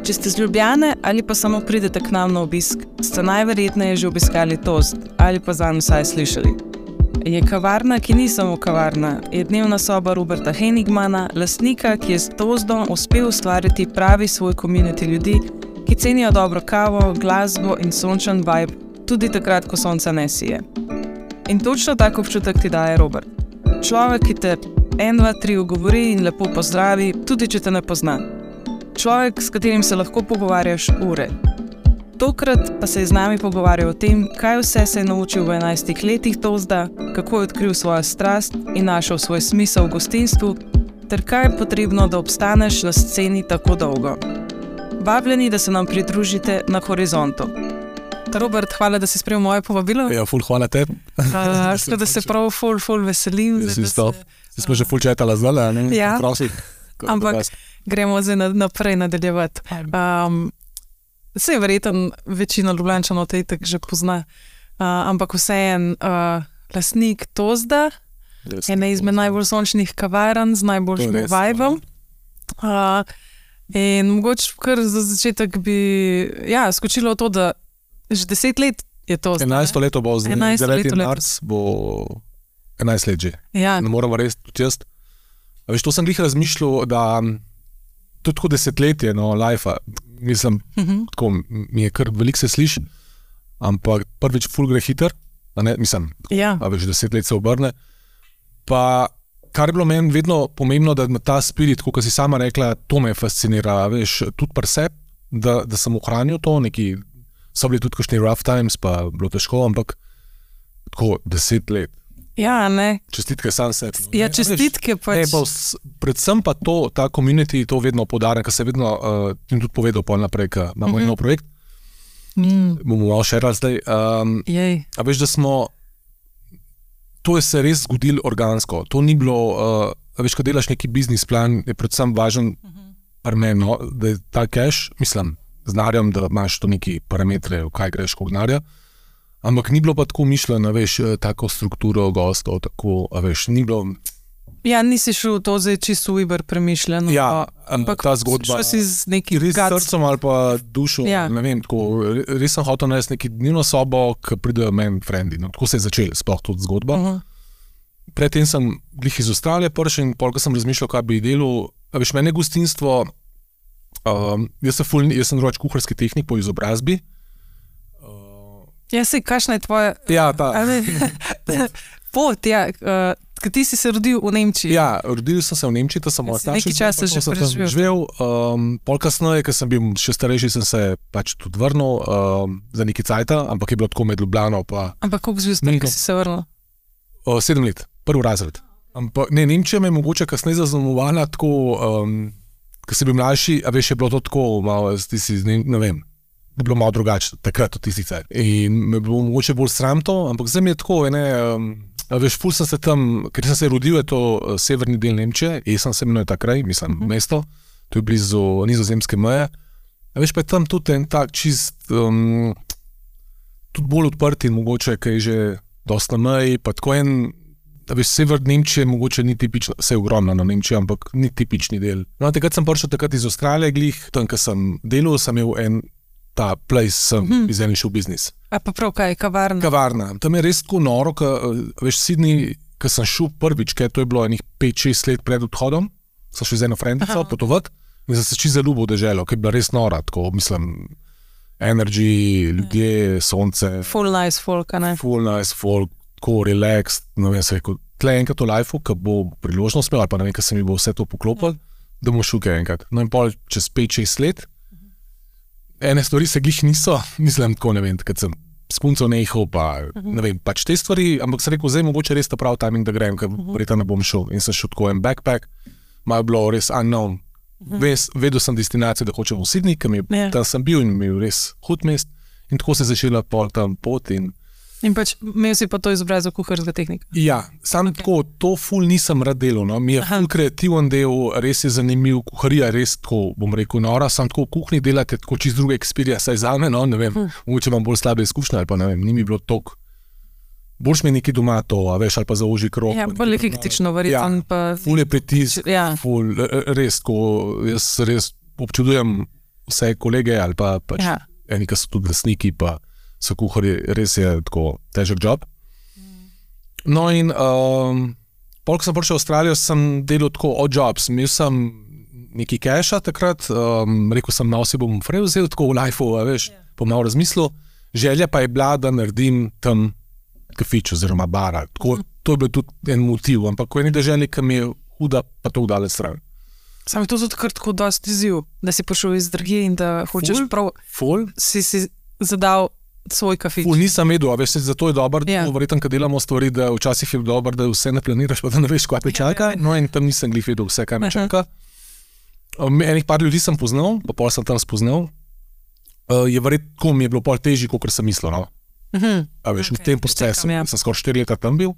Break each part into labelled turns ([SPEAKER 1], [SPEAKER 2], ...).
[SPEAKER 1] Če ste z Ljubljane ali pa samo pridete k nam na obisk, ste najverjetneje že obiskali Tozd ali pa zanj vsaj slišali. Je kavarna, ki ni samo kavarna, je dnevna soba Roberta Henigmana, lastnika, ki je s Tozdom uspel ustvariti pravi svoj community ljudi, ki cenijo dobro kavo, glasbo in sončen vibe, tudi takrat, ko sonca ne sije. In točno tak občutek ti daje Robert. Človek, ki te 1, 2, 3 ugovori in lepo pozdravi, tudi če te ne pozna. Človek, s katerim se lahko pogovarjaš ure. Tokrat pa se je z nami pogovarjal o tem, kaj vse se je naučil v 11 letih Tozda, kako je odkril svojo strast in našel svoj smisel v gostinstvu, ter kaj je potrebno, da obstaneš na sceni tako dolgo. Vabljeni, da se nam pridružite na Horizontu. Robert, hvala, da si sprejel moje povabilo.
[SPEAKER 2] Ja, ful, hvala tebi.
[SPEAKER 1] Da se prav ful veselim.
[SPEAKER 2] Smo že ful četala zdaj, ne?
[SPEAKER 1] Ja.
[SPEAKER 2] Prosim.
[SPEAKER 1] Ampak gremo zdaj naprej nadaljevati. Saj verjetno večina Ljubljančanov te itak že pozna, ampak vseeno lastnik Tozda, ena izmed najbolj sončnih kavarn z najboljšim vibom. In mogoče kar za začetek bi skočilo v to, da že 10 let je to.
[SPEAKER 2] 11 leto bo z 9. marc, bo 11 let že.
[SPEAKER 1] Ja.
[SPEAKER 2] Ne moramo res tudi jaz. A veš, to sem glih razmišljal, da to je tako desetletje, life-a. Mislim, tako mi je kar veliko se sliši, ampak prvič ful gre hiter, mislim, a veš, 10 let se obrne. Pa kar je bilo meni vedno pomembno, da ta spirit, kot si sama rekla, to me fascinira, veš, tudi pri sebi, da sem ohranil to, neki so bili tudi kakšni rough times, pa bilo težko, ampak tako 10 let.
[SPEAKER 1] Ja, ne.
[SPEAKER 2] Čestitke sam sebi.
[SPEAKER 1] Ja, čestitke pač.
[SPEAKER 2] Predvsem pa to, ta community, to vedno podarjam, ker se vedno, in tudi povedal pol naprej, ker imamo eno projekt, bomo malo šerali zdaj. A veš, da smo, to je se res zgodilo organsko, to ni bilo, a veš, ko delaš neki biznis plan, je predvsem važen pri meni, da je ta cash, mislim, znarjam, da imaš to neki parametre, v kaj greš, koliko denarja. Ampak ni bilo pa tako mišljeno, veš, tako strukturo gostov, tako, veš, ni bilo...
[SPEAKER 1] Ja, nisi šel to zdaj čisto uber premišljeno.
[SPEAKER 2] Ja, ampak ta zgodba...
[SPEAKER 1] Šel si z neki
[SPEAKER 2] res srcem ali pa dušo, ne vem, tako, res sem hotel narediti neki dnevno sobo, ki pridejo meni frendi, tako se je začel sploh tudi zgodba. Predtem sem glih iz Avstralije prišel in polk sem razmišljal, kaj bi delal, veš, mene gostinstvo, jaz sem drugač kuharski tehnik po izobrazbi.
[SPEAKER 1] Ja, sej, kakšna je tvoja...
[SPEAKER 2] Ja, ta...
[SPEAKER 1] pot, ja, ker ti si se rodil v Nemčiji.
[SPEAKER 2] Ja, rodil sem se v Nemčiji, to sem moj starši.
[SPEAKER 1] Nekaj časa že
[SPEAKER 2] preživel. Pol kasneje, ker sem bil še starejši, sem se pač tudi vrnil za nekaj cajta, ampak je bilo tako med Ljubljano pa...
[SPEAKER 1] Ampak koliko zvezd si se vrnil?
[SPEAKER 2] 7 let, prvi razred. Ampak ne, Nemčija me je mogoče kasneje zaznamovala tako, ker sem bil mlajši, a veš, je bilo to tako malo, ti si, ne vem, da je bilo malo drugače, takrat v tisti cajt. In me bilo mogoče bolj sram to, ampak zdaj mi je tako, veš, ful sem se tam, ker sem se rodil, je to severni del Nemčije, Essen se imenuje ta kraj, mislim, mesto, to je blizu nizozemske meje. A veš, pa je tam tudi en tak čist, tudi bolj odprt in mogoče, kaj je že dosta meji, pa tako en, a veš, sever Nemčije mogoče ni tipično, vse je ogromno na Nemčiji, ampak ni tipični del. No, takrat sem prišel takrat iz Avstralije glih, tam, ko sem delal, sem imel en ta place, sem iz eni šel biznis.
[SPEAKER 1] A pa prav kaj, kavarna?
[SPEAKER 2] Kavarna. Tam je res tako noro, veš, Sydney, ko sem šel prvič, ker to je bilo enih 5-6 let pred odhodom, sem šel z eno frendico potovati in sem se čisto zaljubil v deželo, ker je bila res nora, tako, mislim, energy, ljudje, sonce.
[SPEAKER 1] Full nice folk, a ne?
[SPEAKER 2] Full nice folk, tako relaxed, ne vem, se rekel, tle enkrat v lifeu, ko bo priložnost imel, ali pa ne vem, ko se mi bo vse to poklopilo, da bomo šel kaj enkrat. No in pol čez 5-6 let, ene stvari se glih niso, mislim, tako ne vem, kad sem s punco nehal, pa ne vem, pač te stvari, ampak sem rekel, zdaj mogoče res ta prav timing, da grem, ker verjetno ne bom šel. In sem šel tako en backpack, malo je bilo res unknown. Vedel sem destinacijo, da hočem v Sydney, ker tam sem bil in imel res hud mest in tako se je začela pol tam pot in...
[SPEAKER 1] In pač imel si pa to izobrazbo kuharskega tehnika?
[SPEAKER 2] Ja, sam tako, to ful nisem rad delal, no. Mi je ful kreativen del, res je zanimiv, kuharija res tako, bom rekel, nora, sam tako v kuhinji delate tako čist druga experience, saj zame, no, ne vem, mogoče imam bolj slabe izkušnje ali pa ne vem, ni mi bilo toliko, boljš mi nekaj doma to, a veš, ali pa za ožji krog.
[SPEAKER 1] Ja, bolj hektično verjetno pa...
[SPEAKER 2] Ful je pritisk, ful, res tako, jaz res občudujem vse kolege ali pa pač eni, ki so tudi lastniki, pa so kuharji, res je tako težek job. No in pol, ko sem prišel v Avstralijo, sem delal tako odd jobs. Imel sem nekaj keša takrat, rekel sem, malo si bom frej vzel tako v life-u, veš, po malo razmislil. Želja pa je bila, da naredim tam kafič oziroma bara. Tako, to je bil tudi en motiv, ampak ko je nekaj želja, ki mi je huda, pa to udale stran.
[SPEAKER 1] Sam je to zato kar tako dosti izziv, da si prišel iz drugje in da hočeš si zadal svoj kafič.
[SPEAKER 2] Nisem vedel, a veš, zato je dobro, verjetno, kad delamo stvari, da včasih je dobro, da vse ne planiraš, pa da ne veš, kaj te čaka. No in tam nisem glih vedel vse, kaj me čaka. Enih par ljudi sem poznal, pa pol sem tam spoznal. Je verjetno, mi je bilo pol težji, kot sem mislil, no. A veš, v tem procesu, sem skoraj 4 leta tam bil.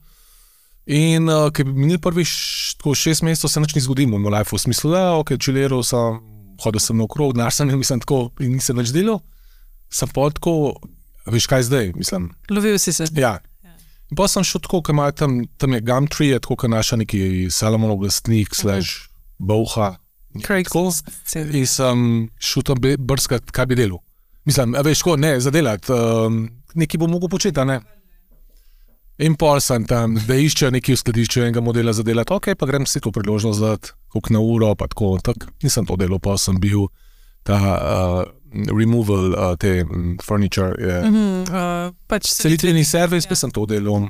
[SPEAKER 2] In ko je minil prvih 6 mesecev, se nič ni zgodilo v moj life, v smislu, čileral sem, hodil sem naokrog, denar sem imel, mislim tako, in nisem nič delal. Sem pa tako, veš kaj zdaj, mislim.
[SPEAKER 1] Lovil si se.
[SPEAKER 2] Ja. In pa sem šel tako, ko imajo tam je Gumtree, je tako, ko naša neki Salomonov lastnik, /Bauha. In sem šel tam brskati, kaj bi delal. Mislim, veš, tako, ne, zadelati, nekaj bo mogel početi, a ne. In pol sem tam, da iščejo nekaj v skladišču enega modela za delati, ok, pa grem si to priložnost dati, koliko na uro, pa tako, nisem to delal, pa sem bil ta removal, te furniture, selitveni servis, pa sem to delal.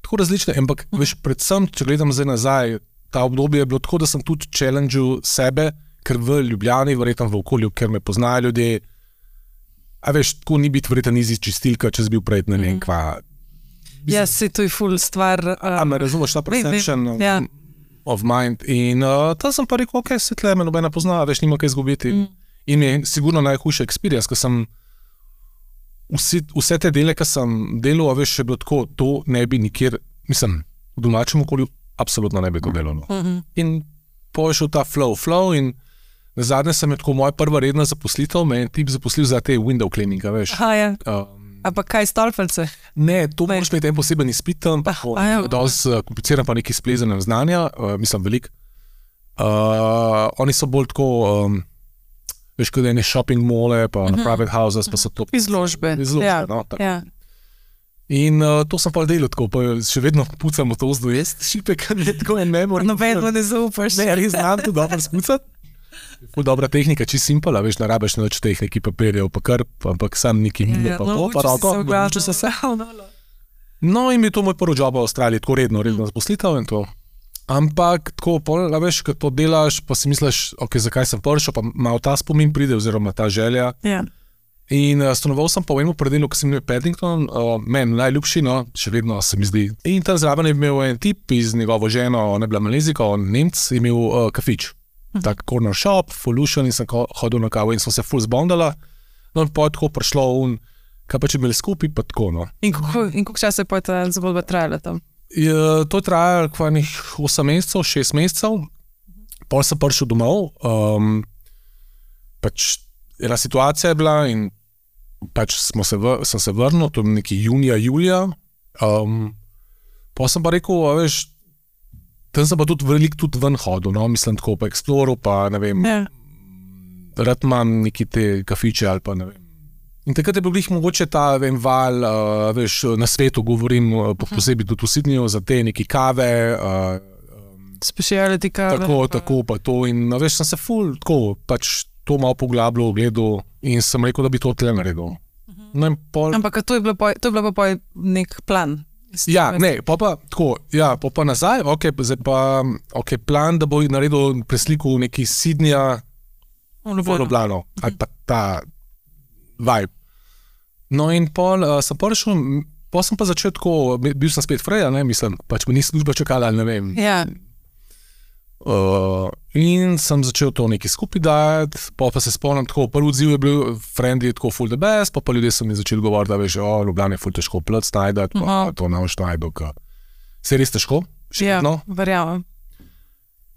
[SPEAKER 2] Tako različne, ampak veš, predvsem, če gledam zdaj nazaj, ta obdobje je bilo tako, da sem tudi challengil sebe, ker v Ljubljani, verjetno v okolju, ker me poznajo ljudje, a veš, tako ni biti verjetno easy čistilka, če si bil prej, ne vem, kva.
[SPEAKER 1] Ja, si to je ful stvar.
[SPEAKER 2] A me razumeš, ta perception of mind. In tam sem pa rekel, ok, se tle me nobena pozna, veš, nima kaj izgubiti. In mi je sigurno najhujša experience, ker sem vse te dele, ki sem delal, veš, še bilo tako, to ne bi nikjer, mislim, v domačem okolju absolutno ne bi to delalo. In pošel ta flow in nazadnje sem je tako moja prva redna zaposlitev, me je tip zaposlil za te window cleaninga, veš.
[SPEAKER 1] A pa kaj stolpelce?
[SPEAKER 2] Ne, to moraš imeti en poseben izpit, dosti kompliciran pa neki splezanem znanja, mislim velik. Oni so bolj tako, veš, kot ene shopping mole, pa na private houses, pa so to
[SPEAKER 1] izložbe,
[SPEAKER 2] no, tako. In to sem pa delal tako, pa še vedno pucam v to zdojest, šipek, tako en memor.
[SPEAKER 1] Nobenno ne zaupaš.
[SPEAKER 2] Ne, res znam to dobro spucati. Ful dobra tehnika, čisto simpala, veš, ne rabiš nič teh neki papirjev, pa kar, ampak sam neki milo, pa to, pa roko. No, in mi je to moj prvi job v Avstraliji, tako redno zaposlitev in to. Ampak tako, veš, kad to delaš, pa si misliš, ok, zakaj sem prišel, pa malo ta spomin pride, oziroma ta želja. In stanoval sem pa v enem predelu, ki sem imel Paddington, meni najljubši, no, še vedno se mi zdi. In tam zraven je imel en tip iz njegovo ženo, ona je bila Malezika, on Nemc, je imel kafič. Tak corner shop, full lušen in sem hodil na kavo in smo se full zbondala. No in pa je tako prišlo kaj pa če bili skupaj, pa tako, no.
[SPEAKER 1] In koliko časa je pa ta zgodba trajala tam?
[SPEAKER 2] To je trajalo kvajnih 8 mesecev, 6 mesecev. Pol sem prišel domov, pač ena situacija je bila in pač sem se vrnil, to je neki junija, julija. Pol sem pa rekel, veš, tam sem pa tudi veliko ven hodil, no, mislim tako pa eksploru, pa ne vem, rad imam neki te kafiče ali pa ne vem. In takrat je bil glih mogoče ta, vem, val, veš, na svetu govorim, posebej tudi v Sydneyju, za te neki kave.
[SPEAKER 1] Speciality kave.
[SPEAKER 2] Tako, pa to in veš, sem se ful, tako, pač to malo poglabljal, gledal in sem rekel, da bi to tle naredil. No in pol...
[SPEAKER 1] Ampak to je bilo pa nek plan.
[SPEAKER 2] Ja, ne, pa tako, ja, pa nazaj, zdaj pa, plan, da bo naredil presliku neki Sydneyja v Ljubljano, ali pa ta vibe. No in pol sem prišel, pol sem pa začel tako, bil sem spet freja, ne, mislim, pač me ni služba čakala, ali ne vem.
[SPEAKER 1] Ja.
[SPEAKER 2] In sem začel to nekaj skupaj dajati, pa se spomnim tako, prvi odziv je bil friendly, tako full the best, pa ljudje so mi začeli govoriti, da veš, Ljubljana je full težko plc najdati, pa to ne boš najdel, se je res težko, še vedno.
[SPEAKER 1] Ja, verjamem.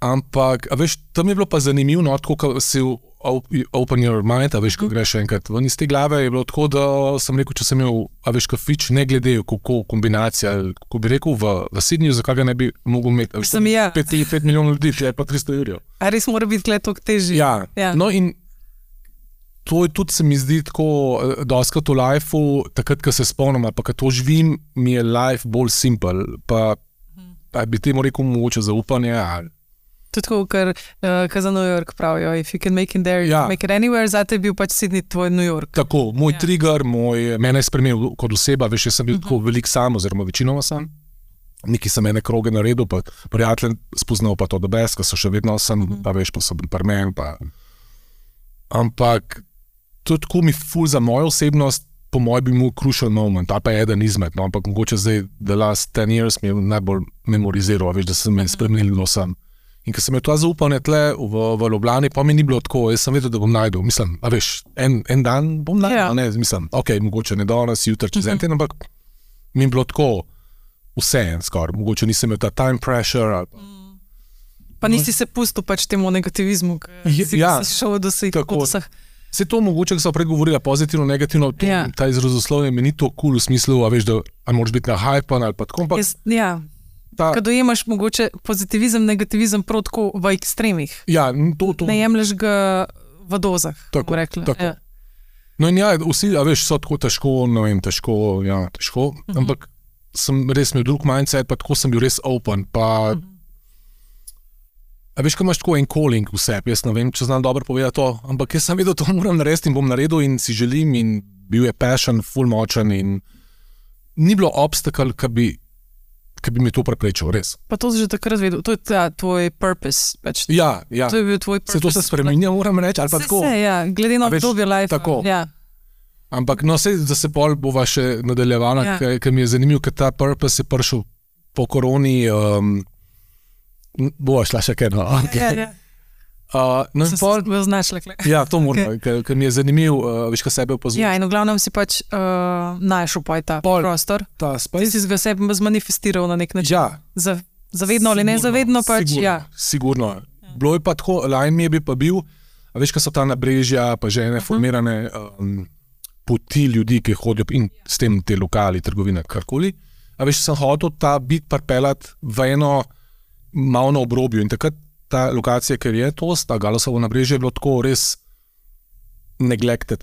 [SPEAKER 2] Ampak, a veš, tam je bilo pa zanimivo, no, tako, ko si open your mind, a veš, ko greš enkrat ven iz te glave, je bilo tako, da sem rekel, če sem imel, a veš, kafič, ne glede, kako kombinacija, kako bi rekel, v Sydneyju, zakaj ga ne bi mogel imeti, 5 milijonov ljudi, je pa 300 €.
[SPEAKER 1] A res mora biti tukaj toliko težji?
[SPEAKER 2] Ja, no in to je tudi, se mi zdi tako, dostakrat v lifeu, takrat, ko se spomnim, ali pa ko to živim, mi je life bolj simpel, pa bi temu rekel mogoče zaupanje, ali
[SPEAKER 1] Tudi tako, kar za New York pravijo, if you can make it there, make it anywhere, zate je bil pač Sydney tvoj New York.
[SPEAKER 2] Tako, moj trigger, mene je spremenil kot oseba, veš, jaz sem bil tako velik sam, oziroma večinoma sam. Neki sem ene kroge naredil, pa prijatelj spoznal pa to the best, ko so še vedno sem, pa veš, pa so bil par men, pa... Ampak, to je tako mi ful za mojo osebnost, po moj bi mu crucial moment, ali pa eden izmed, no, ampak mogoče zdaj, the last 10 years mi je najbolj memoriziral, veš, da sem me spremenil, no sem. In ko sem imel to zaupanje tle v Ljubljani, pa mi ni bilo tako, jaz sem vedel, da bom najdel, mislim, a veš, en dan bom najdel, ne, mislim, ok, mogoče ne danes, jutri, čez en teden, ampak mi je bilo tako vse skoraj, mogoče nisem imel ta time pressure, ali
[SPEAKER 1] pa nisi se pustil pač temu negativizmu, ki si šel do vseh.
[SPEAKER 2] Se to mogoče, ko so prej govorila pozitivno, negativno, ta izrazoslovje mi ni to cool v smislu, a veš, da moraš biti na hypan ali pa tako, ampak...
[SPEAKER 1] Ko dojemaš mogoče pozitivizem, negativizem prav tako v ekstremih.
[SPEAKER 2] Ja, to.
[SPEAKER 1] Ne jemlješ ga v dozah, tako rekla.
[SPEAKER 2] Tako. Ja. No in vsi, a veš, so tako težko, ne vem, težko, ampak sem res imel drug mindset, pa tako sem bil res open, pa... A veš, ko imaš tako en calling v sebi, jaz ne vem, če znam dobro povedati to, ampak jaz sem vedel, to moram narediti in bom naredil in si želim in bil je passion, ful močen in ni bilo obstacle, ki bi mi to preprečil, res.
[SPEAKER 1] Pa to si že takrat vedel, to je tvoj purpose. Pač.
[SPEAKER 2] Ja.
[SPEAKER 1] To je bil tvoj purpose.
[SPEAKER 2] Se to se spremenja, moram reči, ali pa tako.
[SPEAKER 1] Glede na obdobje life.
[SPEAKER 2] Tako.
[SPEAKER 1] Ja.
[SPEAKER 2] Ampak no, da se pol bova še nadaljevala, ker mi je zanimiv, ker ta purpose je prišel po koroni, bova šla še kaj, no. Okay. No in pol...
[SPEAKER 1] Sem znašla.
[SPEAKER 2] Ja, to moram, ker mi je zanimiv, veš, kaj sebe opazuješ.
[SPEAKER 1] Ja, in v glavnem si pač našel pa je ta prostor.
[SPEAKER 2] Ta space.
[SPEAKER 1] Ti si ga sebe zmanifestiral na nek način.
[SPEAKER 2] Ja.
[SPEAKER 1] Zavedno ali nezavedno pač,
[SPEAKER 2] Sigurno. Bilo je pa tako, lajn mi je pa bil, a veš, kaj so ta nabrežja, pa že ene formirane poti ljudi, ki hodijo in s tem te lokali, trgovine, karkoli. A veš, sem hotel ta bit parpelat v eno malo na obrobju in takrat ta lokacija, ker je to, ta Galosovo nabrežje je bilo tako res neglected.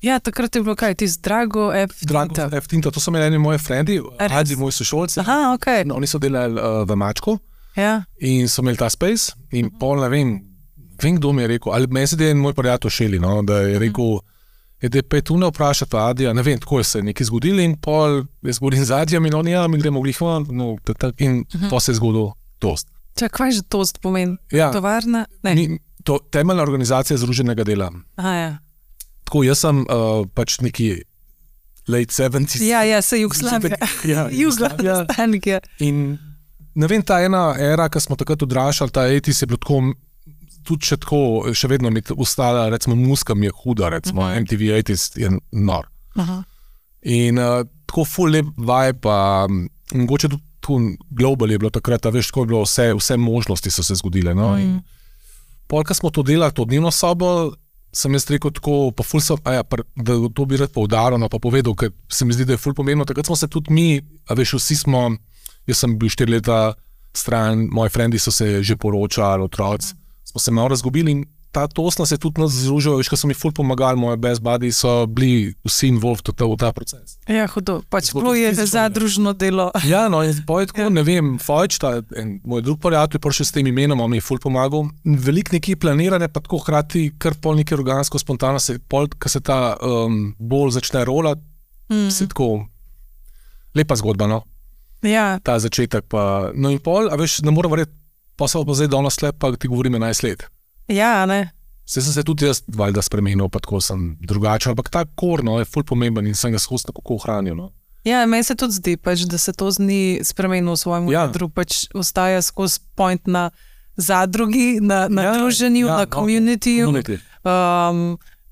[SPEAKER 1] Ja, takrat je bilo kaj, Drago F.
[SPEAKER 2] Tinta, to so imeli eni moji frendi, moji sošolci.
[SPEAKER 1] Aha, okej.
[SPEAKER 2] No, oni so delali v Mačku in so imeli ta space in pol ne vem kdo mi je rekel, ali meni se da je moj prijatelj Šeli, no, da je rekel, da je pet ne vprašati Adija, ne vem, tako je se nekaj zgodili in pol jaz govorim z Adijem in oni, mi gremo glih van, in to se je zgodilo toast.
[SPEAKER 1] Kaj že toast pomeni? Tovarna?
[SPEAKER 2] Temeljna organizacija združenega dela.
[SPEAKER 1] Aha, ja.
[SPEAKER 2] Tako, jaz sem pač neki late 70s.
[SPEAKER 1] Ja, se Jugoslavija. Jugoslavija.
[SPEAKER 2] In ne vem, ta ena era, ko smo takrat odrašali, ta 80s je bilo tako, tudi še tako, še vedno mi ostala, recimo, muska mi je huda, recimo, MTV 80s je nor. In tako full lep vibe, pa mogoče tudi global je bilo takrat, veš, tako je bilo vse možnosti so se zgodile, no, in pol, ko smo to delali, to dnevno sobo, sem jaz rekel tako, pa ful sem, da to bi rad poudaril, no, pa povedal, ker se mi zdi, da je ful pomembno, takrat smo se tudi mi, veš, vsi smo, jaz sem bil 4 leta stran, moji frendi so se že poročali, otroci, smo se malo razgubili in ta toast nas je tudi nas združil, veš, ko so mi ful pomagali, moje best buddy so bili vsi involved v ta proces.
[SPEAKER 1] Ja, hudo, pač bilo je zadružno delo.
[SPEAKER 2] Ja, no, in pa je tako, ne vem, Fojč, moj drug prijatelj, prišel s tem imenom, on mi je ful pomagal, veliko nekaj planirane, pa tako hkrati kar pol nekaj organsko, spontano se, pol, ko se ta bolj začne rolati, se tako, lepa zgodba, no.
[SPEAKER 1] Ja.
[SPEAKER 2] Ta začetek pa, no in pol, a veš, ne moram verjeti, pa se pa zdaj danes slep, pa ti govorim 11 let.
[SPEAKER 1] Ja, ne.
[SPEAKER 2] Saj sem se tudi jaz valjda spremenil, pa tako sem drugačen, ampak ta kor, no, je ful pomemben in sem ga skozi tako ohranil, no.
[SPEAKER 1] Ja, meni se tudi zdi, pač, da se to ni spremenil v svojem jadru, pač ostaja skozi point na zadrugi, na druženju, na communityju.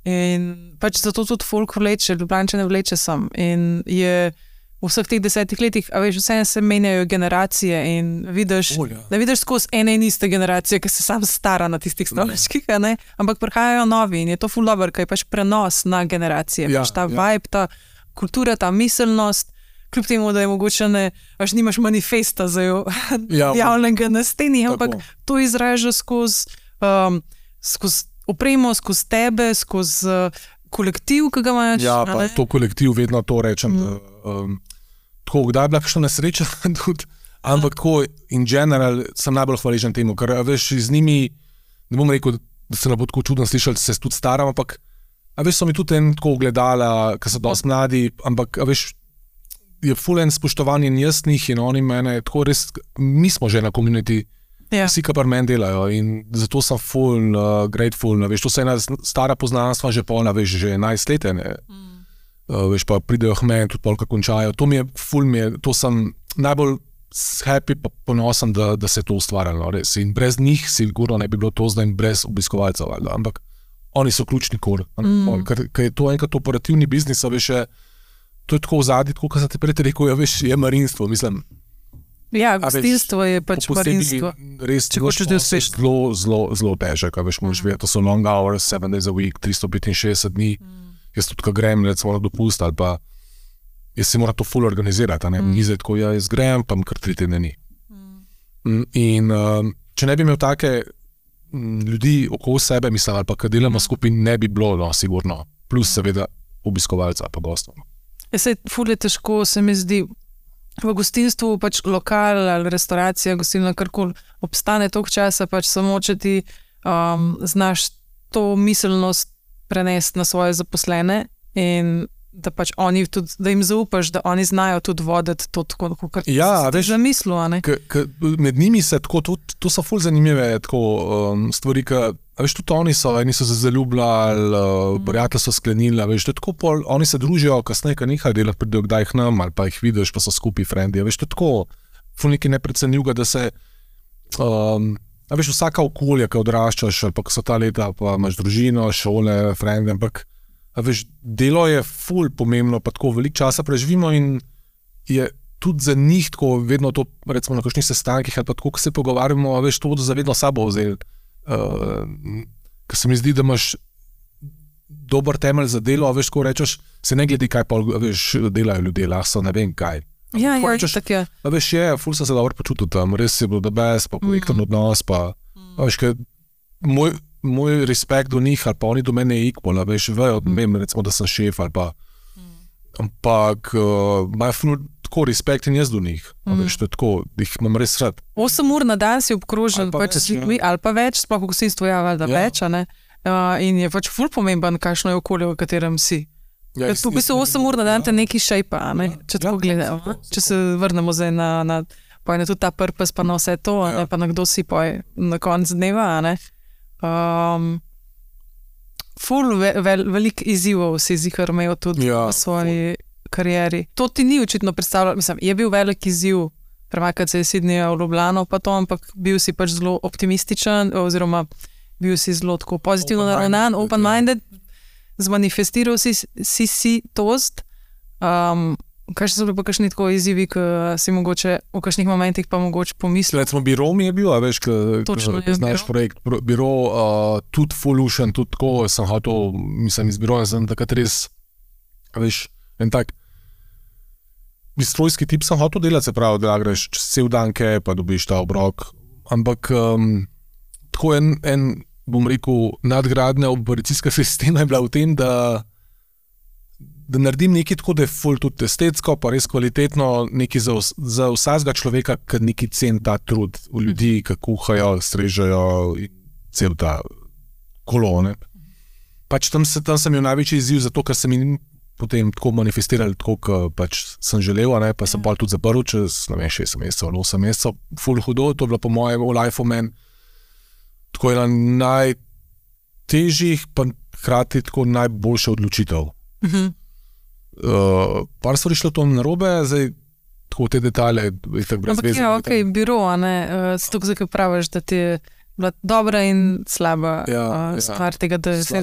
[SPEAKER 1] In pač zato tudi folk vleče, Ljubljančane vleče sem. In je v vseh teh 10 letih, a veš, vse se menjajo generacije in vidiš, da vidiš skozi ene in iste generacije, ki se sam stara na tistih stolčkih, ampak prihajajo novi in je to ful dobro, kaj je pač prenos na generacije. Pač ta vibe, ta kultura, ta miselnost, kljub temu, da je mogoče nimaš manifesta za javnega na steni, ampak to izraža skozi opremo, skozi tebe, skozi kolektiv, ki ga imaš.
[SPEAKER 2] Ja, pa to kolektiv, vedno to rečem. Tako, kdaj je bila kakšna nesreča tudi, ampak tako in general sem najbolj hvaležen temu, ker veš, z njimi, ne bom rekel, da se ne bo tako čudno slišali, da se tudi staram, ampak veš, so mi tudi tako gledala, ker so dosti mladi, ampak veš, je ful en spoštovanje in jaz njih in oni mene, tako res, mi smo že na community, vsi, ki pri meni delajo in zato sem ful grateful, veš, to se ena stara poznanstva že polna, veš, že 11 let, ne. Veš, pa pridejo k meni, tudi polka končajo, to mi je ful, to sem najbolj happy pa ponosen, da se je to ustvarjalo, res, in brez njih sigurno ne bi bilo to zdaj in brez obiskovalcev, ampak oni so ključni kor, ker je to enkrat operativni biznis, veš, to je tako v zadnji, tako kot sem te prej rekel, veš, je marinstvo, mislim.
[SPEAKER 1] Ja, gostinstvo je pač marinstvo.
[SPEAKER 2] Res, če hočeš, da je zelo težek, veš, moraš vedeti, to so long hours, 7 days a week, 365 dni, jaz tudi, ko grem, recimo na dopust, ali pa jaz si moram to ful organizirati, ne, ni zdaj tako, jaz grem, pa kar 3 tedne ni. In če ne bi imel take ljudi okoli sebe, mislim, ali pa kad delamo skupaj, ne bi bilo, no, sigurno, plus seveda obiskovalca pa gostov.
[SPEAKER 1] Sej ful je težko, se mi zdi, v gostinstvu pač lokal ali restauracija, gostilna, karkoli obstane toliko časa, pač samo če ti znaš to miselnost prenesti na svoje zaposlene in da pač oni tudi, da jim zaupaš, da oni znajo tudi voditi to tako, kot si ti zamislil, a ne?
[SPEAKER 2] Med njimi se tako, to so ful zanimive tako stvari, veš, tudi oni so, eni so se zaljubljali, prijatelj so sklenili, veš, to je tako pol, oni se družijo, kasneje, kad nekaj delati, pridejo kdaj k nam, ali pa jih vidiš, pa so skupaj frendi, veš, to je tako, ful nekaj neprecenljivega, da se, veš, vsaka okolja, ki odraščaš, ali pa ko so ta leta, pa imaš družino, šole, frendi, ampak veš, delo je ful pomembno, pa tako veliko časa preživimo in je tudi za njih tako vedno to, recimo na kakšnih sestankih ali pa tako, ko se pogovarjamo, veš, to bodo zavedno sabo vzeli. Ker se mi zdi, da imaš dober temelj za delo, veš, ko rečeš, se ne gledi, kaj pa, veš, delajo ljudje, lahko ne vem kaj.
[SPEAKER 1] Ja, rečeš, tak je.
[SPEAKER 2] Veš, ful sem se dobro počutil tam, res je bil the best, pa projekten odnos, pa, veš, ker moj respekt do njih, ali pa oni do mene je equal, veš, vejo, vem, recimo, da sem šef, ali pa, ampak imajo ful tako respekt in jaz do njih, veš, to je tako, jih imam res rad.
[SPEAKER 1] 8 ur na dan si obkrožen, pač s ljudmi, ali pa več, sploh v gostinstvu, več, a ne, in je pač ful pomemben, kakšno je okolje, v katerem si. V bistvu 8 ur na dan te neki šejpa, a ne, če tako gledajo, če se vrnemo zdaj na tudi ta purpose, pa na vse to, a ne, pa na kdo si na konc dneva, a ne. Ful veliko izzivov si zihar imel tudi v svoji karieri. To ti ni očitno predstavljalo, mislim, je bil velik izziv premakati se iz Sydneyja v Ljubljano, pa to, ampak bil si pač zelo optimističen, oziroma bil si zelo tako pozitivno naravnan, open-minded, zmanifestiral si tost. Kaj so bili pa kakšni tako izzivi, ki si mogoče v kakšnih momentih pa mogoče pomislil?
[SPEAKER 2] Recimo Biro mi je bil, veš, ki znaš projekt, Biro, tudi Folution, tudi tako, sem hotel, mislim, iz Biroja, sem takrat res, veš, en tak bistrojski tip sem hotel delati, se pravi, da greš čez cel dan kaj, pa dobiš ta obrok, ampak tako en, bom rekel, nadgradnja operacijska sistema je bila v tem, da naredim nekaj tako, da je ful tudi estetsko, pa res kvalitetno, nekaj za vsakega človeka, ki neki cen ta trud v ljudi, ki kuhajo, strežejo in cel ta kolone. Pač tam sem imel največji izziv, zato ker sem jim potem tako manifestirali, tako, kot pač sem želel, ne, pa sem pa tudi zaprl čez, ne vem, 6 mesecev ali 8 mesecev, ful hudo, to je bilo po mojem v life men, tako ena najtežjih, pa hkrati tako najboljša odločitev. Par stvari šlo to narobe, zdaj tako te detalje itak brez veze.
[SPEAKER 1] Ampak je Biro, a ne, zato zdaj praviš, da ti je bila dobra in slaba stvar tega, da se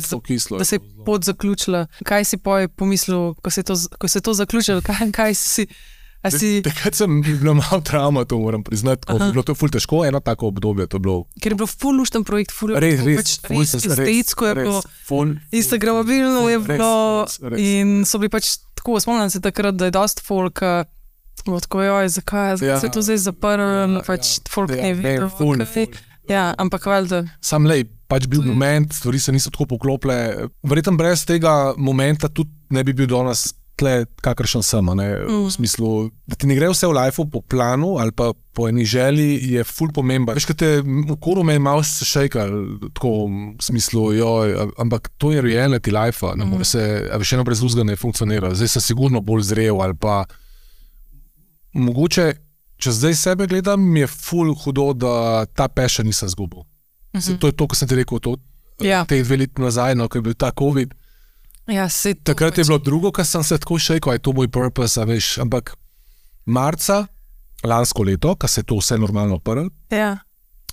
[SPEAKER 1] je pot zaključila. Kaj si pomislil, ko se je to zaključilo, kaj si...
[SPEAKER 2] Takrat sem bila malo travma, to moram priznati, bilo to ful težko, eno tako obdobje to bilo.
[SPEAKER 1] Ker je bilo ful lušten projekt, ful estetsko je bilo, instagramabilno je bilo in so bili pač tako, spomnim se takrat, da je dost folk, tako joj, zakaj se to zdaj zaprl, pač folk ne vedel. Ja, ampak valjda.
[SPEAKER 2] Sam lej, pač bil moment, stvari se niso tako poklopile. Verjetno brez tega momenta tudi ne bi bil danes tle, kakršen sem, ne? V smislu, da ti ne gre vse v lifeu po planu ali pa po eni želji, je ful pomemben. Veš, kad te v koru me je malo šejkal, tako v smislu, ampak to je reality lifea, ne more se, veš, eno brez vzga ne funkcionira. Zdaj sem sigurno bolj zrel ali pa mogoče, če zdaj sebe gledam, mi je ful hudo, da ta passion nisem zgubil. To je to, ko sem ti rekel, te 2 leti nazaj, no, ko je bil ta COVID.
[SPEAKER 1] Ja,
[SPEAKER 2] takrat je bilo drugo, ko sem se tako šejkal, je to moj purpose, veš, ampak marca lansko leto, ko se je to vse normalno odprlo,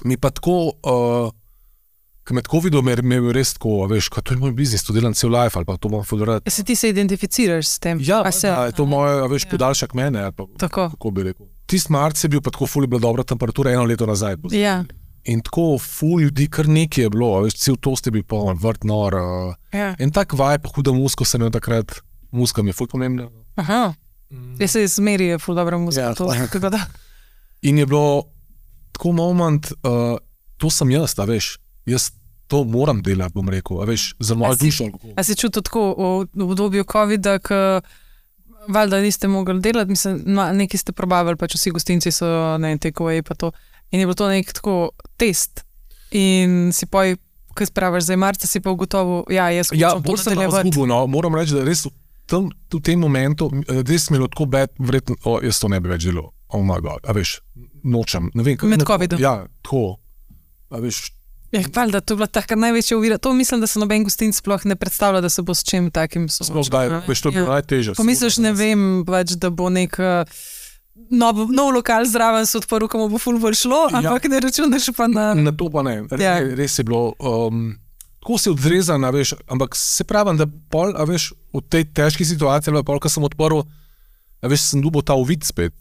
[SPEAKER 2] mi pa tako, ko med COVID-om me je res tako, veš, to je moj biznis, to delam cel life, ali pa to imam ful rad.
[SPEAKER 1] Se ti se identificiraš s tem?
[SPEAKER 2] Ja, je to moj, veš, podaljšak mene, ali pa kako bi rekel. Tist marc je bil pa tako ful, je bila dobra temperatura 1 leto nazaj.
[SPEAKER 1] Ja.
[SPEAKER 2] In tako ful ljudi, kar nekaj je bilo, veš, cel tost je bil poln, vrt nor. In tak vibe, huda musko sem imel takrat, muska mi je ful pomembna.
[SPEAKER 1] Aha, jaz se zmeri je ful dobra muska.
[SPEAKER 2] Ja, in je bilo tako moment, to sem jaz, a veš, jaz to moram delati, bom rekel, a veš, za mojo dušo.
[SPEAKER 1] A si čutil tako v obdobju COVID-a, valjda niste mogli delati, mislim, nekaj ste probavali, pač vsi gostinci so, ne, takeaway pa to. In je bilo to nek tako test. In si poj, kaj spraviš, zdaj marca si pa ugotovil, jaz
[SPEAKER 2] bolj sem zgubil, no, moram reči, da res v tem momentu, res mi je bilo tako bad, verjetno, jaz to ne bi več delal, oh my god, a veš, nočem, ne vem.
[SPEAKER 1] Med COVID-om?
[SPEAKER 2] Ja, tako, a veš.
[SPEAKER 1] Valjda, to je bila taka največja ovira, to mislim, da se noben gostinc sploh ne predstavlja, da se bo s čim takim
[SPEAKER 2] soočil. Veš, to je bilo najtežje.
[SPEAKER 1] Pomisliš, ne vem, pač, da bo nek nov lokal zraven se odprl, komu bo ful bolj šlo, ampak ne računaš pa na...
[SPEAKER 2] Na to pa ne, res je bilo, tako si odrezan, a veš, ampak se pravim, da pol, a veš, v tej težki situaciji, ali pol, ko sem odprl, a veš, sem dobil ta uvid spet,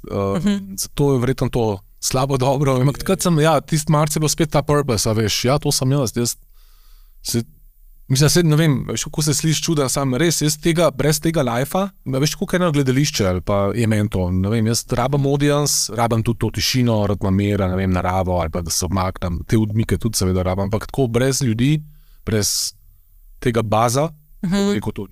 [SPEAKER 2] zato je verjetno to slabo dobro, ampak takrat sem, tist marc je bilo spet ta purpose, a veš, to sem jaz mislim, ne vem, veš, kako se sliši čuden, sam res, jaz brez tega lifea, veš, kako eno gledališče, ali pa je meni to, ne vem, jaz rabam audience, rabam tudi to tišino, rad imam mira, ne vem, naravo, ali pa da se odmaknem, te odmike tudi seveda rabam, ampak tako brez ljudi, brez tega baza, rekel to.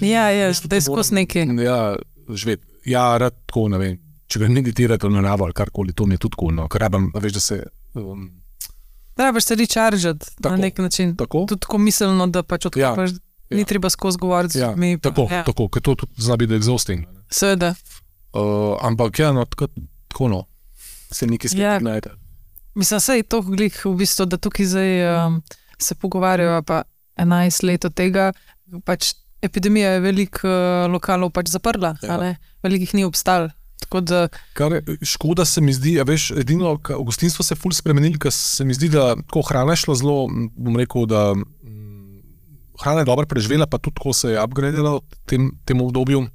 [SPEAKER 1] Da je skozi nekaj.
[SPEAKER 2] Ja, živeti, rad tako, ne vem, če ga meditirate na naravo ali karkoli, to mi je tudi cool, no, ker rabam, veš, da se...
[SPEAKER 1] Rabaš se rechargeati na nek način.
[SPEAKER 2] Tako?
[SPEAKER 1] Tudi tako miselno, da pač odkripaš, ni treba skozi govoriti z ljudmi.
[SPEAKER 2] Tako, ker to tudi zna biti exhausting.
[SPEAKER 1] Seveda.
[SPEAKER 2] Ampak tako no, se nekaj spet najde.
[SPEAKER 1] Mislim, sej to glih v bistvu, da tukaj zdaj se pogovarjajo pa 11 let od tega, pač epidemija je veliko lokalov pač zaprla, veliko jih ni obstalo.
[SPEAKER 2] Škoda se mi zdi, veš, edino, v gostinstvu se je ful spremenili, ker se mi zdi, da hrana je šla zelo, bom rekel, da hrana je dobro preživela, pa tudi tako se je upgradila v tem obdobju.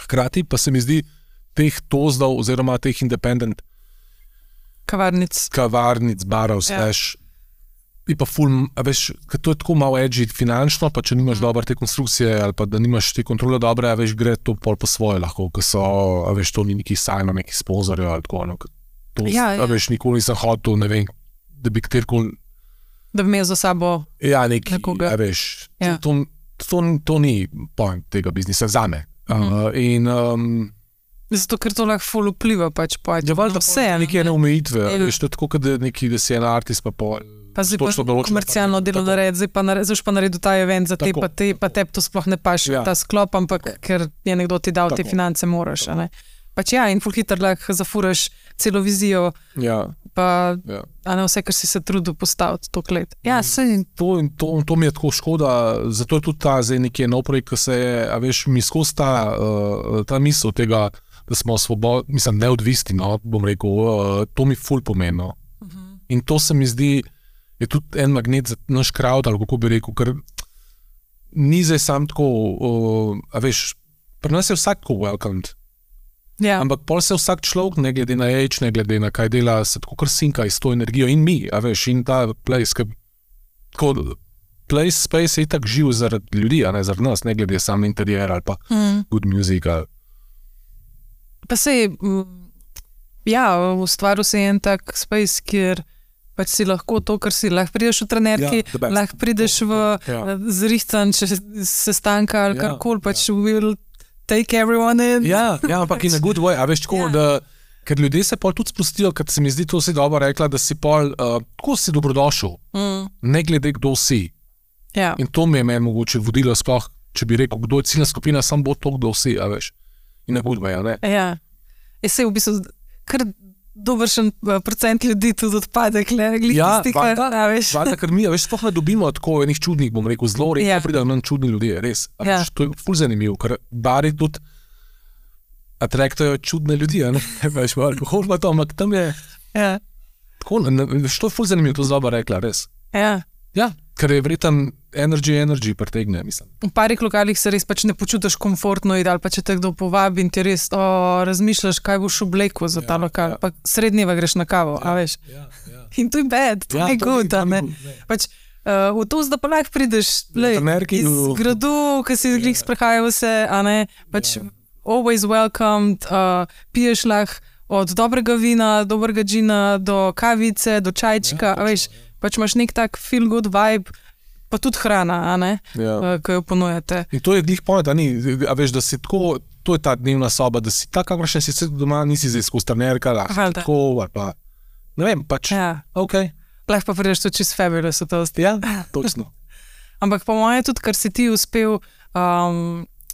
[SPEAKER 2] Hkrati pa se mi zdi teh tozdov oziroma teh independent kavarnic, barov, slash, je pa ful, veš, ker to je tako malo edgy finančno, pa če nimaš dobre te konstrukcije ali pa da nimaš te kontrole dobre, veš, gre to pol po svoje lahko, ker so, veš, to ni neki sajno, neki sponzorjo ali tako, no, to, veš, nikoli nisem hotel, ne vem, da bi kjerkoli...
[SPEAKER 1] Da bi imel za sabo
[SPEAKER 2] nekoga. Veš, to ni point tega biznisa zame. In...
[SPEAKER 1] Zato, ker to lahko ful vpliva pač
[SPEAKER 2] vse. Nekaj omejitve, veš, to je tako, da si en artist pa pol...
[SPEAKER 1] Pa zdaj pa komercialno delo nared, zdaj pa naredil ta event za te, pa tebi to sploh ne paš, ta sklop, ampak ker je nekdo ti dal te finance, moraš, a ne. Pač in ful hitro lahko zafuraš celo vizijo, pa a ne vse, kar si se trudil postaviti toliko let. Sej.
[SPEAKER 2] To mi je tako škoda, zato je tudi ta zdaj nekje nov projekt, ko se je, a veš, mi skozi ta misel tega, da smo svobodni, mislim, neodvisni, no, bom rekel, to mi ful pomeni. In to se mi zdi, je tudi en magnet za naš crowd, ali kako bi rekel, ker ni zdaj sam tako, a veš, pri nas je vsak tako welcomed. Ampak pol se vsak človek, ne glede na age, ne glede na kaj dela, se tako kar sinka iz to energijo in mi, a veš, in ta place, tako place, space je tak živ zaradi ljudi, a ne zaradi nas, ne glede sam interijer ali pa good music.
[SPEAKER 1] Pa sej, ustvaril se je en tak space, kjer pač si lahko to, kar si. Lahko prideš v trenerki, lahko prideš v zrihtan sestanka ali karkoli, pač will take everyone in.
[SPEAKER 2] Ja, ampak in a good way, a veš tako, da ker ljudje se pol tudi sprostijo, ker se mi zdi, to si dobro rekla, da si pol, tako si dobrodošel, ne glede kdo si.
[SPEAKER 1] Ja.
[SPEAKER 2] In to mi je meni mogoče vodilo sploh, če bi rekel, kdo je ciljna skupina, sam bo to, kdo si, a veš. In ne budva, ne?
[SPEAKER 1] Ja. Se v bistvu, kar dobršen procent ljudi tudi odpade, glih tistih, a veš.
[SPEAKER 2] Ja, ker mi, a veš, sploh ne dobimo tako enih čudnih, bom rekel, zelo redko pridajo nam čudni ljudje, res. A veš, to je ful zanimivo, ker bari tudi atraktajo čudne ljudi, a ne? Veš, alkohol pa to, ampak tam je...
[SPEAKER 1] Ja.
[SPEAKER 2] Tako, to je ful zanimivo, to zloba rekla, res.
[SPEAKER 1] Ja.
[SPEAKER 2] Ja, ker je vreten energy pretegne, mislim.
[SPEAKER 1] V parih lokalih se res pač ne počutiš komfortno ali pa če te kdo povabi in ti res razmišljaš, kaj boš oblekel za ta lokal, pa srednjeva greš na kavo, a veš. In to je bad, to je good, a ne. Pač v to, da pa lahko prideš iz gradu, ki si glih sprehajal vse, a ne, pač always welcomed, piješ lahko od dobrega vina, dobrega džina, do kavice, do čajčka, a veš, pač imaš nek tak feel good vibe, pa tudi hrana, a ne, ko jo ponujate.
[SPEAKER 2] In to je glih point, a veš, da si tako, to je ta dnevna soba, da si tako, kakor še si doma, nisi zdaj skozi trenerka, tako, ali pa, ne vem, pač, okej.
[SPEAKER 1] Lahko pa prideš tudi čist fabulous v to.
[SPEAKER 2] Ja, točno.
[SPEAKER 1] Ampak po moje tudi, kar si ti uspel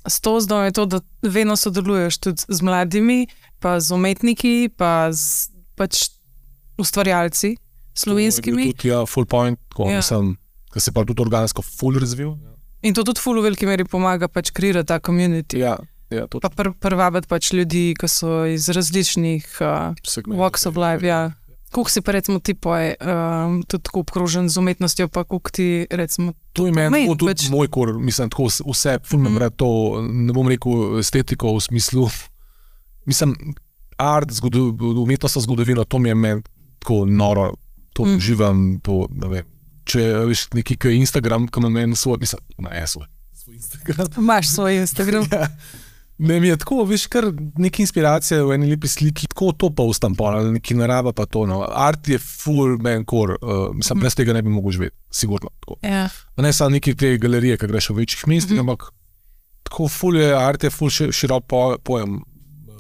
[SPEAKER 1] s to zdaj je to, da vedno sodeluješ tudi z mladimi, pa z umetniki, pa z pač ustvarjalci slovenskimi.
[SPEAKER 2] Tudi, full point, ko se pa tudi organsko full razvil.
[SPEAKER 1] In to tudi full v veliki meri pomaga pač kreirati ta community.
[SPEAKER 2] Ja, to.
[SPEAKER 1] Pa privabiti pač ljudi, ki so iz različnih walks of life, Koliko si pa recimo ti poje, tudi tako obkrožen z umetnostjo, pa koliko ti recimo...
[SPEAKER 2] To je meni tudi moj kor, mislim, tako vse, fulno vred to, ne bom rekel estetiko v smislu, mislim, art, umetnostna zgodovina, to mi je meni tako noro, to živam, to, ne vem, če veš neki Instagram, ki ima meni svoj, mislim, svoj Instagram.
[SPEAKER 1] Imaš svoj Instagram.
[SPEAKER 2] Ja. Ne, mi je tako, veš, kar neka inspiracija v eni lepi sliki, tako to pa ustam pa, neki narava pa to, no. Art je full man core, mislim, brez tega ne bi mogel živeti, sigurno.
[SPEAKER 1] Ja.
[SPEAKER 2] Ne samo neki te galerije, ki greš v večjih mestih, ampak tako full je, art je full širok pojem.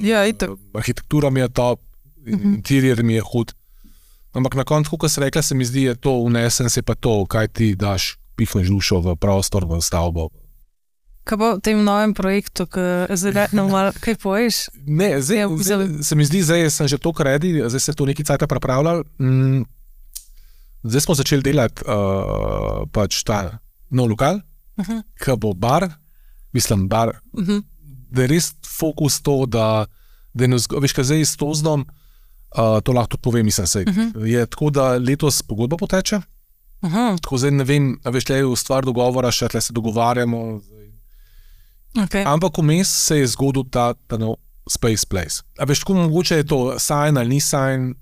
[SPEAKER 1] Ja, itak.
[SPEAKER 2] Arhitektura mi je top, interior mi je hud. Ampak na koncu, ko se rekla, se mi zdi, je to unesen, se pa to, kaj ti daš, pifneš dušo v prostor, v stavbo.
[SPEAKER 1] Kaj bo v tem novem projektu, kaj poješ?
[SPEAKER 2] Ne, zdaj se mi zdi, zdaj sem že to kredi, zdaj se to neki cajta pripravljal. Zdaj smo začeli delati pač ta nov lokal, ki bo bar, mislim bar, da je res fokus to, da veš, kaj zdaj s Tozdom, to lahko tudi povem, mislim se. Je tako, da letos pogodba poteče, tako zdaj ne vem, veš, le je v stvar dogovora, še tle se dogovarjamo,
[SPEAKER 1] Okay.
[SPEAKER 2] Ampak vmes se je zgodil ta nov Space Place. A veš, tako mogoče je to sign ali ni sign,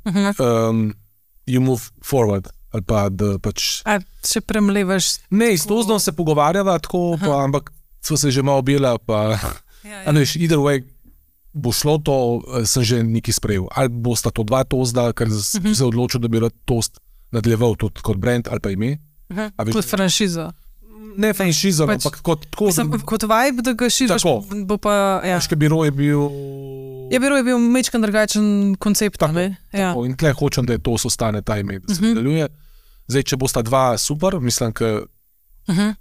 [SPEAKER 2] you move forward, ali pa da pač...
[SPEAKER 1] A še premlevaš?
[SPEAKER 2] Ne, s Tozdom se pogovarjava tako, pa, ampak so se že malo objela, pa... A ne veš, either way, bo šlo to, sem že nekaj sprejel. Ali bosta to dva Tozda, ker se odločil, da bi rad Tozd nadaljeval tudi kot brand ali pa ime.
[SPEAKER 1] Kot franšizo.
[SPEAKER 2] Ne franšizo, ampak
[SPEAKER 1] kot vibe, da ga širiš, bo pa...
[SPEAKER 2] Biro je bil...
[SPEAKER 1] Ja, Biro je bil mečkan drugačen koncept.
[SPEAKER 2] Tako, in tle hočem, da to ostane ta ime, da se nadaljuje. Zdaj, če bosta dva super, mislim,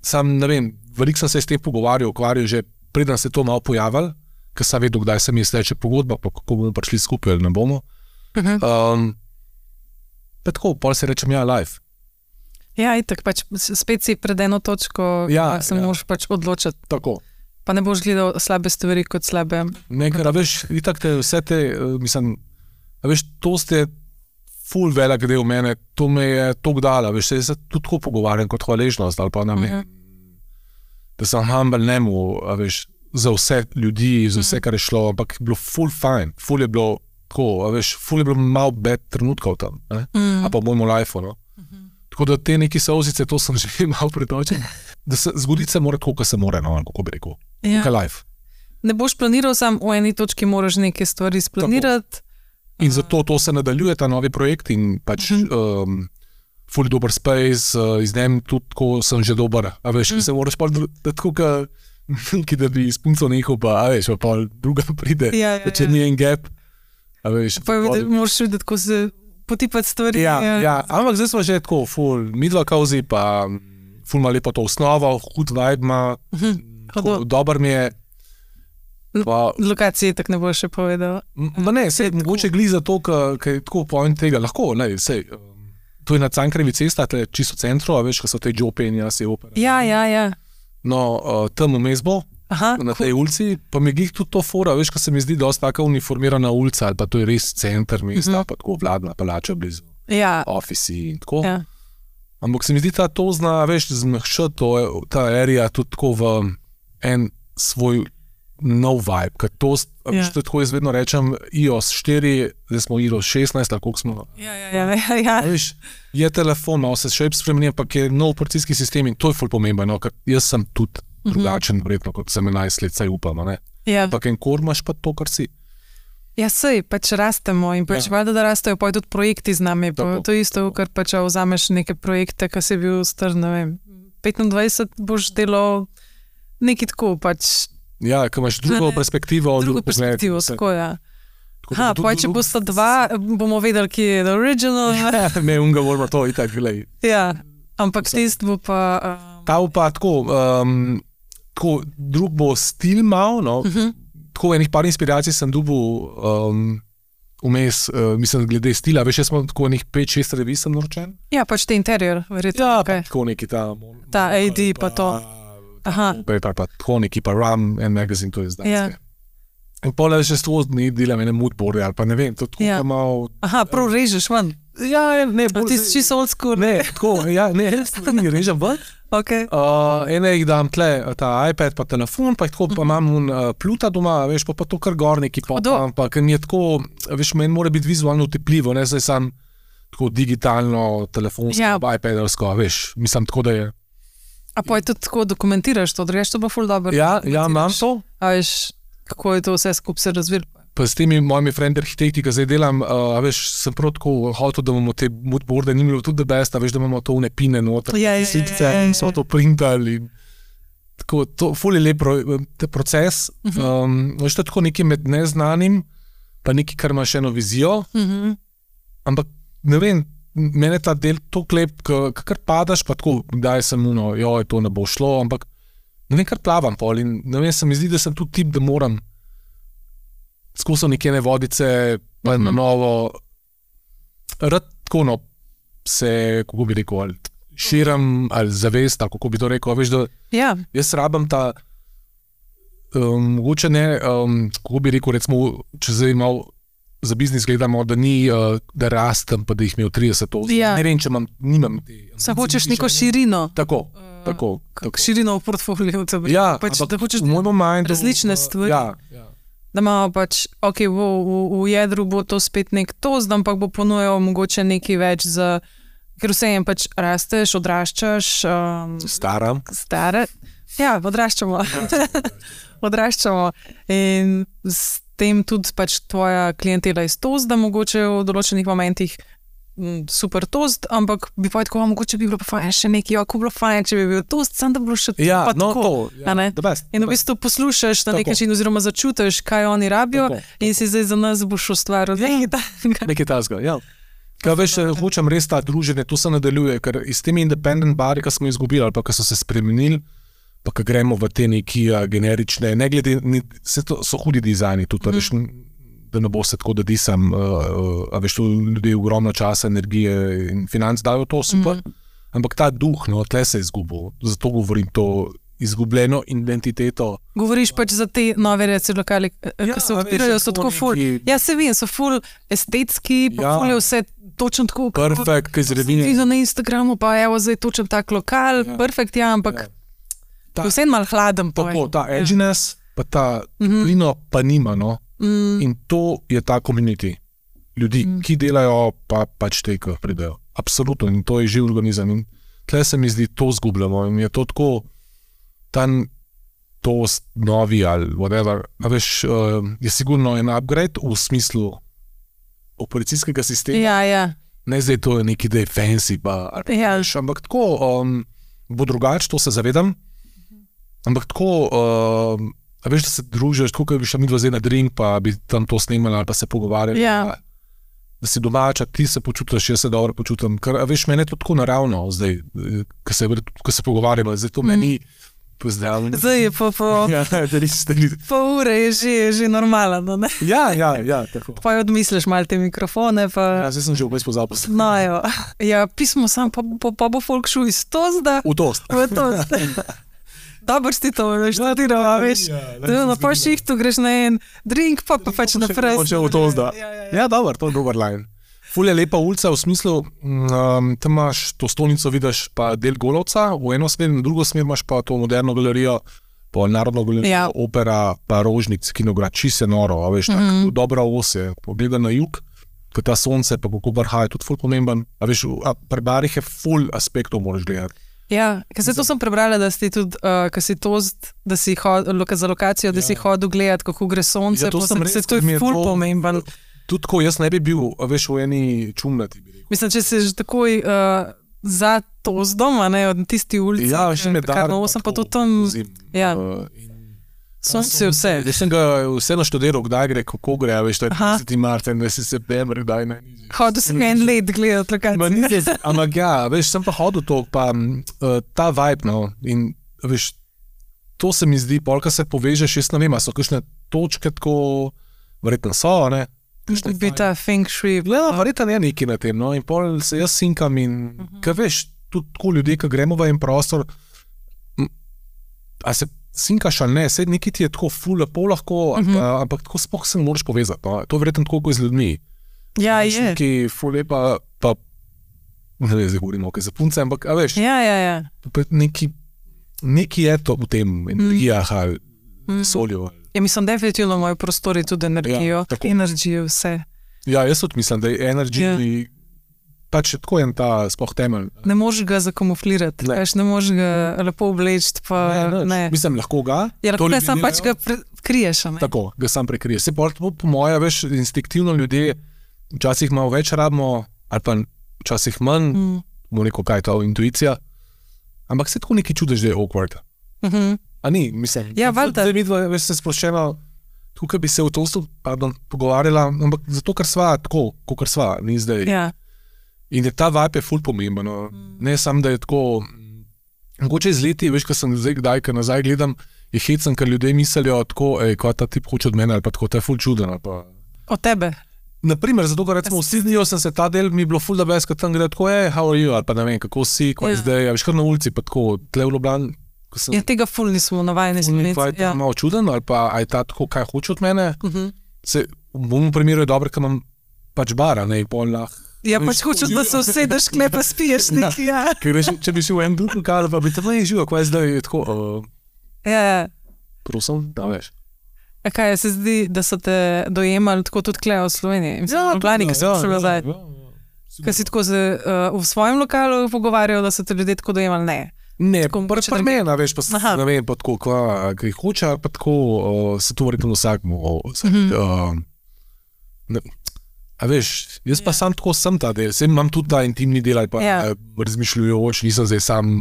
[SPEAKER 2] sam ne vem, veliko sem se s tem pogovarjal, že preden se to malo pojavil, ker sem vedel, kdaj se mi je steče pogodba, pa kako bomo prišli skupaj ali ne bomo. Pa tako, pol se rečem, live.
[SPEAKER 1] Ja, itak, pač spet si pred eno točko, se moraš pač odločiti.
[SPEAKER 2] Tako.
[SPEAKER 1] Pa ne boš gledal slabe stvari kot slabe.
[SPEAKER 2] Ne, ker, veš, itak te vse te, mislim, veš, to ste ful velik del mene, to me je toliko dala, veš, se tudi tako pogovarjam kot hvaležnost, ali pa nam je, da sem humble nemu, veš, za vse ljudi, za vse, kar je šlo, ampak je bilo ful fajn, ful je bilo tako, veš, ful je bilo malo bad trenutkov tam, a pa v mojemu lifeu, no. Tako da te neki solzice, to sem že malo pretočen, da se zgoditi se mora tako, kot se mora, no, kako bi rekel. Kaj life.
[SPEAKER 1] Ne boš planiral sam v eni točki, moraš neke stvari splanirati.
[SPEAKER 2] In zato to se nadaljuje, ta novi projekt in pač ful dober space, iz njem tudi tako sem že dober, a veš, se moraš pa tako, da bi s punco nehal, pa a veš, pa druga pride, če ni en gap, a veš.
[SPEAKER 1] Pa moraš videti, ko se potipati stvari.
[SPEAKER 2] Ja, ampak zdaj smo že tako, ful midva kauzi, pa ful ima lepo to osnovo, hud vibe ima, dober mi je.
[SPEAKER 1] Lokacije tako ne bo še povedal.
[SPEAKER 2] Ne, sej, mogoče gli za to, ker je tako point tega, lahko, ne, sej, to je na Cankarjevi cesta, to je čisto v centru, a veš, ko so te Jope in jaz je opera.
[SPEAKER 1] Ja.
[SPEAKER 2] No, tam vmes bo, na tej ulici, pa mi glih tudi to fora, veš, ko se mi zdi dosta taka uniformirana ulica, ali pa to je res center mesta, pa tako vladna palača blizu, ofisi in tako. Ja. Ampak se mi zdi ta to zna, veš, zmehšati ta area tudi tako v en svoj nov vibe, ker to, što tako jaz vedno rečem, iOS 4, zdaj smo iOS 16, ali koliko smo.
[SPEAKER 1] Ja.
[SPEAKER 2] Veš, je telefon, malo se še spremeni, ampak je nov operacijski sistem in to je ful pomembno, ker jaz sem tudi drugačen, verjetno, kot sem 11 let, saj upam, ne? Ja. Ampak enkor imaš pa to, kar si.
[SPEAKER 1] Ja, sej, pač rastemo in pač valjda, da rastejo, pa tudi projekti z nami, pa to isto, ker pač vzameš neke projekte, ki si bil star, ne vem, 25 boš delal nekaj tako, pač.
[SPEAKER 2] Ja, ko imaš drugo perspektivo.
[SPEAKER 1] Drugo perspektivo, tako, ja. Pa če bosta dva, bomo vedeli, ki je original.
[SPEAKER 2] Ne, unga moramo to itak, glej.
[SPEAKER 1] Ja, ampak tist bo pa...
[SPEAKER 2] Ta pa tako, drug bo stil mal, no, tako enih par inspiracij sem dobil vmes, mislim, glede stila, veš, jaz smo tako enih 5-6 revij sem naročen.
[SPEAKER 1] Ja, pač te interior, verjetno.
[SPEAKER 2] Ja, tako neki ta...
[SPEAKER 1] Ta AD pa to.
[SPEAKER 2] Pa tako neki pa Ram and Magazine, to je zdaj. Ja. In pole še sto dni delam ene moodboarde, ali pa ne vem, to tako malo...
[SPEAKER 1] prav režeš ven?
[SPEAKER 2] Ja, ne.
[SPEAKER 1] Ti si čisto old school?
[SPEAKER 2] Ne, tako, ja, ne, ne režem ven.
[SPEAKER 1] Okay.
[SPEAKER 2] Ene jih dam tle, ta iPad pa telefon, pa jih tako pa imam Pluta doma, veš, pa to kar gor neki popam, pa ker mi je tako, veš, meni mora biti vizualno utepljivo, ne, zdaj sam tako digitalno, telefonsko, iPadersko, veš, mislim tako, da je...
[SPEAKER 1] A pa je tudi tako dokumentiraš to, drugače to pa ful dobro.
[SPEAKER 2] Ja, imam to.
[SPEAKER 1] A veš, kako je to vse skupaj se razvilo?
[SPEAKER 2] Pa s temi mojimi friend arhitekti, ki zdaj delam, a veš, sem prav tako hotel, da imamo te moodboarde, ni bilo tudi the best, a veš, da imamo to une pine noter, so to printali. Tako, to ful je lep proces. Veš, to je tako nekaj med neznanim, pa nekaj, kar imaš eno vizijo, ampak ne vem, mene ta del to klep, kar padaš, pa tako, kdaj sem to ne bo šlo, ampak ne vem, kar plavam pol in ne vem, se mi zdi, da sem tudi tip, da moram skozi nekene vodice, pa na novo, rad tako, no, se, kako bi rekel, ali širam, ali zavest, ali kako bi to rekel, veš, da jaz rabam ta, mogoče ne, kako bi rekel, recimo, če zdaj malo za biznis gledamo, da ni, da rastem, pa da jih imel 30 let. Ne vem, če nimam te...
[SPEAKER 1] Sa hočeš neko širino.
[SPEAKER 2] Tako.
[SPEAKER 1] Širino v portfolio.
[SPEAKER 2] Ja,
[SPEAKER 1] pač,
[SPEAKER 2] ampak
[SPEAKER 1] da hočeš
[SPEAKER 2] v mojem mind...
[SPEAKER 1] različne stvari.
[SPEAKER 2] Ja.
[SPEAKER 1] Da imamo pač, ok, v jedru bo to spet nek toast, ampak bo ponujal mogoče nekaj več za... Ker vse jem pač rasteš, odraščaš...
[SPEAKER 2] Staram.
[SPEAKER 1] Ja, odraščamo. Odraščamo. In tem tudi pač tvoja klientela je toast, da mogoče v določenih momentih super toast, ampak bi pa tako, mogoče bi bilo pa fajn še nekaj, ko bi bilo fajn, če bi bil toast, sam da bi bilo še pa tako. In v bistvu poslušaš na nek način oziroma začutiš, kaj oni rabijo in si zdaj za nas boš ustvaril.
[SPEAKER 2] Nekaj tasga, ja. Kaj veš, hočem res ta druženje, to se nadaljuje, ker iz temi independent bari, ki smo izgubili ali pa ki so se spremenili, pa ko gremo v te neki generične, ne glede, so hudi dizajni tudi, veš, da ne bo se tako, da disam, a veš, tu ljudje ogromno časa, energije in financ dajo to super, ampak ta duh, no, tle se je izgubil, zato govorim to izgubljeno identiteto.
[SPEAKER 1] Govoriš pač za te nove reci lokali, ki se odpirajo, so tako ful, ja se vem, so ful estetski, pa ful je vse točno tako,
[SPEAKER 2] perfekt, kaj zredine.
[SPEAKER 1] Ti na Instagramu, pa evo zdaj točno tak lokal, perfekt, ja, ampak vse malo hladen.
[SPEAKER 2] Tako, ta edginess, pa ta plino pa nima, no. In to je ta community. Ljudi, ki delajo, pa pač te, ki pridejo. Absolutno, in to je živ organizem. In tle se mi zdi, to zgubljamo. In je to tako, toast novi ali whatever. A veš, je sigurno en upgrade v smislu operacijskega sistema.
[SPEAKER 1] Ja.
[SPEAKER 2] ne zdaj to je neki, da je fancy, ampak tako bo drugače, to se zavedam, ampak tako, a veš, da se družiš, tako, kot bi šla midva zdaj na drink, pa bi tam to snimali ali pa se pogovarjali, da si domača, ti se počutiš, jaz se dobro počutim, ker, a veš, meni je to tako naravno zdaj, ko se pogovarjamo, zdaj to meni pozdravljeno.
[SPEAKER 1] Zdaj je pol ure je že normalno, ne?
[SPEAKER 2] Ja, tako.
[SPEAKER 1] Pa jo odmisliš malo te mikrofone, pa...
[SPEAKER 2] Ja, zdaj sem že vmes pozabil.
[SPEAKER 1] No, jo. Ja, pismo sam, pa bo folk šel iz Tozda.
[SPEAKER 2] V Tozd.
[SPEAKER 1] Dobro si to, veš, veš. Na pol šihtu greš na en drink, pa pač naprej.
[SPEAKER 2] Počel v Tozda. Ja, dobro, to je dober line. Ful je lepa ulica v smislu, tam imaš to stolnico, vidiš pa del Golovca, v eno smer, na drugo smer imaš pa to moderno galerijo, pa narodno galerijo, opera, pa Rožnik, Kinograd, čist je noro, a veš, tako dobra os je, pogleda na jug, ko ta sonce, pa kako barha je tudi ful pomemben, a veš, pri barih je ful aspektov moraš gledati.
[SPEAKER 1] Ja, ker se to sem prebrala, da si tudi, ko si Tozd, da si za lokacijo, da si hodil gledati, kako gre sonce,
[SPEAKER 2] to
[SPEAKER 1] je ful pomemben.
[SPEAKER 2] Tudi ko jaz ne bi bil, veš, v eni čumnati.
[SPEAKER 1] Mislim, če si že takoj za Tozdom, a ne, od tisti ulici.
[SPEAKER 2] Ja, še me dar.
[SPEAKER 1] Sem pa tudi tam, ja. Sonce vse.
[SPEAKER 2] Jaz sem ga vse naštudiral, kdaj gre, kako gre, veš, to je 30. marca, 20. september, kdaj ne.
[SPEAKER 1] Hodil sem en let gledati lokacijo.
[SPEAKER 2] Ampak ja, veš, sem pa hodil to, pa ta vibe, no, in veš, to se mi zdi, polka se povežeš, jaz ne vem, a so kakšne točke tako, verjetno so, ne.
[SPEAKER 1] Bi ta feng shui.
[SPEAKER 2] Verjetno je nekaj na tem, no, in pol se jaz sinkam in, kaj veš, tudi tako ljudje, ko gremo v en prostor, a se sinkaš ali ne, sed nekaj ti je tako ful, lepo lahko, ampak tako sploh se ne moraš povezati, no, to je verjetno tako kot z ljudmi.
[SPEAKER 1] Ja, je.
[SPEAKER 2] Nekaj ful lepa, pa, ne vem, zdaj govorimo, kaj za punce, ampak, a veš, nekaj je to v tem, energijah ali soljo.
[SPEAKER 1] Ja, mislim, definitivno moji prostori tudi energijo, energijo, vse.
[SPEAKER 2] Ja, jaz tudi mislim, da je energija, pač tako je ta sploh temelj.
[SPEAKER 1] Ne možeš ga zakamuflirati, ne možeš ga lepo obleči, pa ne.
[SPEAKER 2] Mislim, lahko ga.
[SPEAKER 1] Ja, lahko ga sam pač ga kriješ, ne.
[SPEAKER 2] Tako, ga sam prekriješ. Se pa po moje, veš, instinktivno ljudje včasih malo več rabimo, ali pa včasih manj, bomo neko kaj to intuicija, ampak se tako nekaj čudež, da je awkward. A ni, mislim, zdaj midva, veš, se sploščeno, tukaj bi se v Tozdu, pogovarjala, ampak zato, ker sva tako, kot sva, ni zdaj.
[SPEAKER 1] Ja.
[SPEAKER 2] In je ta vibe je ful pomemben, ne samo, da je tako, mogoče iz leti, veš, ko sem zdaj kdaj, ko nazaj gledam, je hecen, ker ljudje mislijo tako, kaj ta tip hoče od mene, ali pa tako, to je ful čuden, ali pa...
[SPEAKER 1] Od tebe?
[SPEAKER 2] Naprimer, zato, ker recimo v Sydneyju sem se ta del, mi je bilo ful da best, ko tam gledam tako, how are you, ali pa ne vem, kako si, kaj zdaj, veš, kar na ulici, pa tako, tle v Ljubljani.
[SPEAKER 1] Ja, tega ful nismo navajeni zmeniti.
[SPEAKER 2] Je to malo čuden, ali pa je ta tako, kaj hoče od mene. V mojemu primeru je dobro, ker imam pač bara, ne, pol lahko.
[SPEAKER 1] Ja, pač hočeš, da se usedeš, kle pa spiješ nekaj, ja.
[SPEAKER 2] Ker če bi šel v en drug lokal, pa bi tam ne živel, kaj zdaj je tako,
[SPEAKER 1] ja.
[SPEAKER 2] Prosim, da veš.
[SPEAKER 1] A kaj, se zdi, da so te dojemali tako tudi kle v Sloveniji? Mislim, v Ljubljani, ko si prišel nazaj. Kaj si tako v svojem lokalu pogovarjal, da so te ljudje tako dojemali? Ne.
[SPEAKER 2] Ne, pa mena, veš, pa ne vem, pa tako, kaj hoče, pa tako, se to verjetno vsakmu. A veš, jaz pa sam tako sem ta del, sem imam tudi ta intimni del, ali pa razmišljujoč, nisem zdaj sam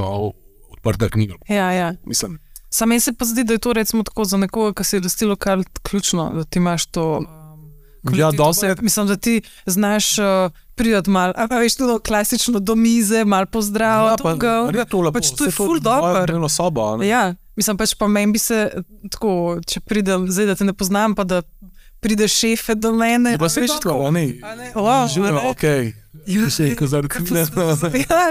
[SPEAKER 2] odprta knjiga.
[SPEAKER 1] Ja.
[SPEAKER 2] Mislim.
[SPEAKER 1] Sam meni se pa zdi, da je to recimo tako za nekoga, ki si je dosti lokal ključno, da ti imaš to...
[SPEAKER 2] Ja, dosti.
[SPEAKER 1] Mislim, da ti znaš pridati malo, a veš tudi klasično do mize, malo pozdrav, pač to je ful dobro. Ja, mislim pač pa meni bi se tako, če pridem, zdaj da te ne poznam, pa da pride šefe do mene.
[SPEAKER 2] Pa se tako, ne? Živimo, okej. Ja,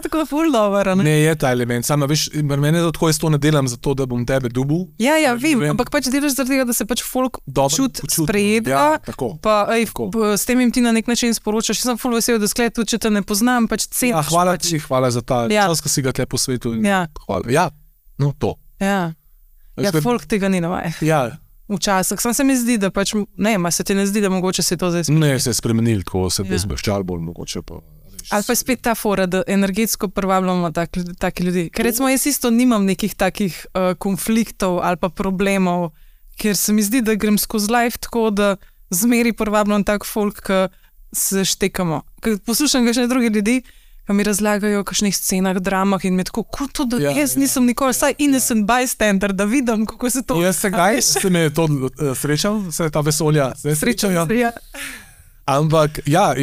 [SPEAKER 1] tako je ful dobro.
[SPEAKER 2] Ne, je ta element, samo veš, mene tako jaz to ne delam zato, da bom tebe dubil.
[SPEAKER 1] Ja, vem, ampak pač delaš zaradi tega, da se pač folk čut sprejedva, pa s tem jim ti na nek način sporočaš. Jaz sem ful vesel, da sklet tudi, če te ne poznam, pač ceniš.
[SPEAKER 2] Hvala za ta čas, ko si ga tle po svetu. Ja, no to.
[SPEAKER 1] Ja, folk tega ni navaja.
[SPEAKER 2] Ja.
[SPEAKER 1] Včasih, sam se mi zdi, da pač, ne, se ti ne zdi, da mogoče se to zdaj spremenili.
[SPEAKER 2] Ne, se je spremenili, tako se je zbeščal bolj mogoče pa.
[SPEAKER 1] Ali pa je spet ta fora, da energetsko privabljamo taki ljudi. Ker recimo jaz isto nimam nekih takih konfliktov ali pa problemov, ker se mi zdi, da grem skozi life tako, da zmeri privabljam tak folk, ki se štekamo. Ker poslušam kakšne druge ljudi, ki mi razlagajo o kakšnih scenah, dramah in me tako, kot to, da jaz nisem nikoli, saj innocent bystander, da vidim, kako se to...
[SPEAKER 2] Jaz se kdaj se me to srečal, se ta vesolja, srečal, ja. Ampak, ja,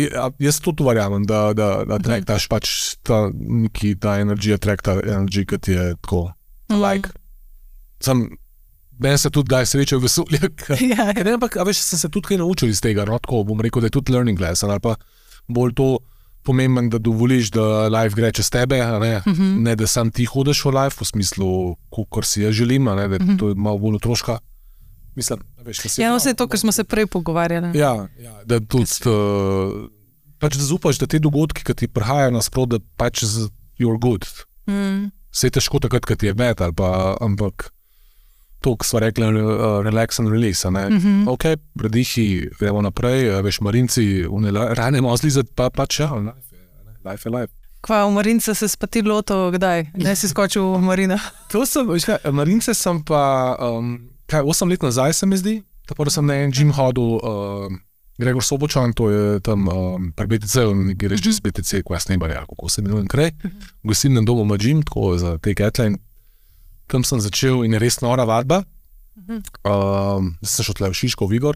[SPEAKER 2] jaz to verjamem, da traktaš pač ta energija, ta energija, ki ti je tako, like. Meni se tudi daj srečal v vesolju. Ampak, veš, sem se tudi kaj naučil iz tega, no, tako bom rekel, da je tudi learning lesson, ali pa bolj to pomemben, da dovoliš, da life gre čez tebe, ne da sam ti hodiš v life, v smislu, kakor si jaz želim, da to je malo bolj otroška. Mislim, veš, kaj si...
[SPEAKER 1] vse to, kar smo se prej pogovarjali.
[SPEAKER 2] Ja, da tudi, pač da zupaš, da te dogodki, ki ti prihajajo nasprot, da pač you're good. Vse je težko takrat, kad ti je med, ampak to, ko sva rekla, relax and release, ok, predihi, gremo naprej, veš, marinci, rane malo zlizati, pač ja, life je life.
[SPEAKER 1] Kva, v marince se spati loto, kdaj? Ne si skočil v marina?
[SPEAKER 2] To sem, veš kaj, marince sem pa, 8 let nazaj se mi zdi, tako da sem na en gym hodil, Gregor Sobočan, to je tam pri BTC, nekaj reči z BTC, ko jaz ne bar, kako se mi kraj, v gostilnem domu ima gym, tako za te Catline. Tam sem začel in je res nora vadba. Sem šel tle v Šiško, v Vigor.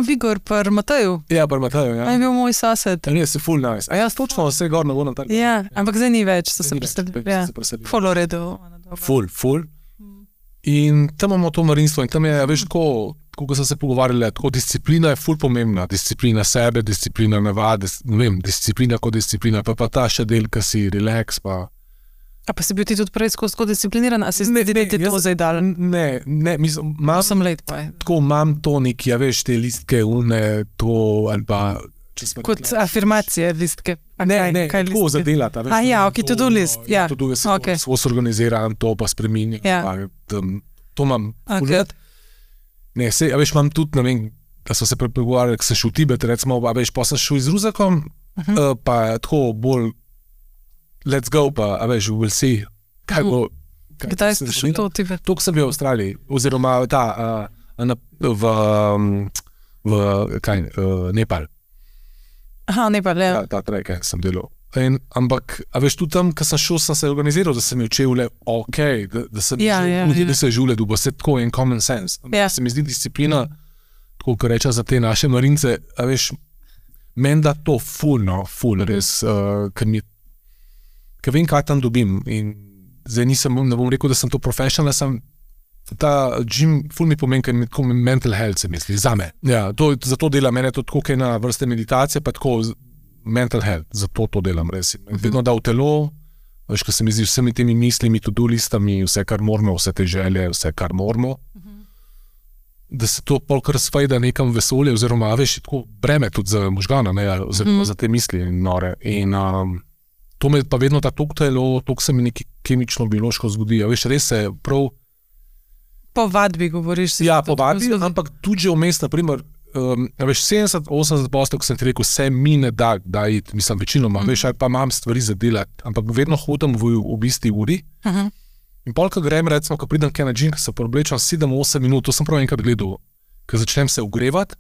[SPEAKER 1] Vigor, pri Mateju.
[SPEAKER 2] Ja, pri Mateju, ja.
[SPEAKER 1] Je bil moj sosed.
[SPEAKER 2] Ja, si full nice. A jaz točno vse gor na gornem trgu.
[SPEAKER 1] Ja, ampak zdaj ni več, so se preselili. Ja, full v redu.
[SPEAKER 2] Full. In tam imamo to marinstvo in tam je, veš, tako, ko sem se pogovarjali, tako disciplina je full pomembna. Disciplina sebe, disciplina navade, ne vem, disciplina kot disciplina, pa ta še del, ki si relax, pa...
[SPEAKER 1] A pa si bil ti tudi prej skozi discipliniran, a si ti to zdaj dal?
[SPEAKER 2] Ne, mislim, tako imam to neki, ja veš, te listke, to, ali pa...
[SPEAKER 1] Kot afirmacije listke?
[SPEAKER 2] Ne, tako zadelati.
[SPEAKER 1] Ja, ok, to do list, ja.
[SPEAKER 2] To do list, svo se organiziram, to pa spreminjam, to imam. Ne, ja veš, imam tudi, ne vem, da so se prepogovarjali, ko sem šel v Tibet, recimo, a veš, pa sem šel z Ruzakom, pa tako bolj let's go, pa, a veš, we'll see, kaj bo...
[SPEAKER 1] Kdaj ste šli to v Tibet?
[SPEAKER 2] To, ko sem bil v Avstraliji, oziroma Nepal.
[SPEAKER 1] Aha, Nepal, ja.
[SPEAKER 2] Ta trek, sem delal. Ampak, a veš, tudi tam, ko sem šel, sem se organiziral, da sem učil le, ok, da sem se življen, da bo se tako en common sense. Se mi zdi disciplina, tako, ko rečem za te naše marince, a veš, meni da to full, res, ker vem, kaj tam dobim in zdaj ne bom rekel, da sem to professional, sem ta gym ful mi pomeni, ker mi tako mental health se misli, zame. Ja, zato delam, mene to tako kaj na vrste meditacije, pa tako mental health, zato to delam res. Vedno da v telo, veš, ker se mi zdi vsemi temi mislimi, to-do listami, vse, kar moramo, vse te želje, vse, kar moramo, da se to polk razfajda nekam vesolje, oziroma, veš, tako breme tudi za možgana, ne, oziroma za te misli nore. In to me pa vedno ta tok telo, tok se mi nekaj kemično-biološko zgodi. Ja, veš, res se prav...
[SPEAKER 1] Po vadbi govoriš.
[SPEAKER 2] Ja, po vadbi, ampak tudi že vmes, naprimer, veš, 70-80%, ko sem ti rekel, vse mi ne da iti, mislim, večinoma, veš, pa imam stvari za delati, ampak vedno hodim v isti uri. In pol, ko grem, recimo, ko pridem kaj na gym, se preoblečem 7-8 minut, to sem prav enkrat gledal, ko začnem se ogrevati,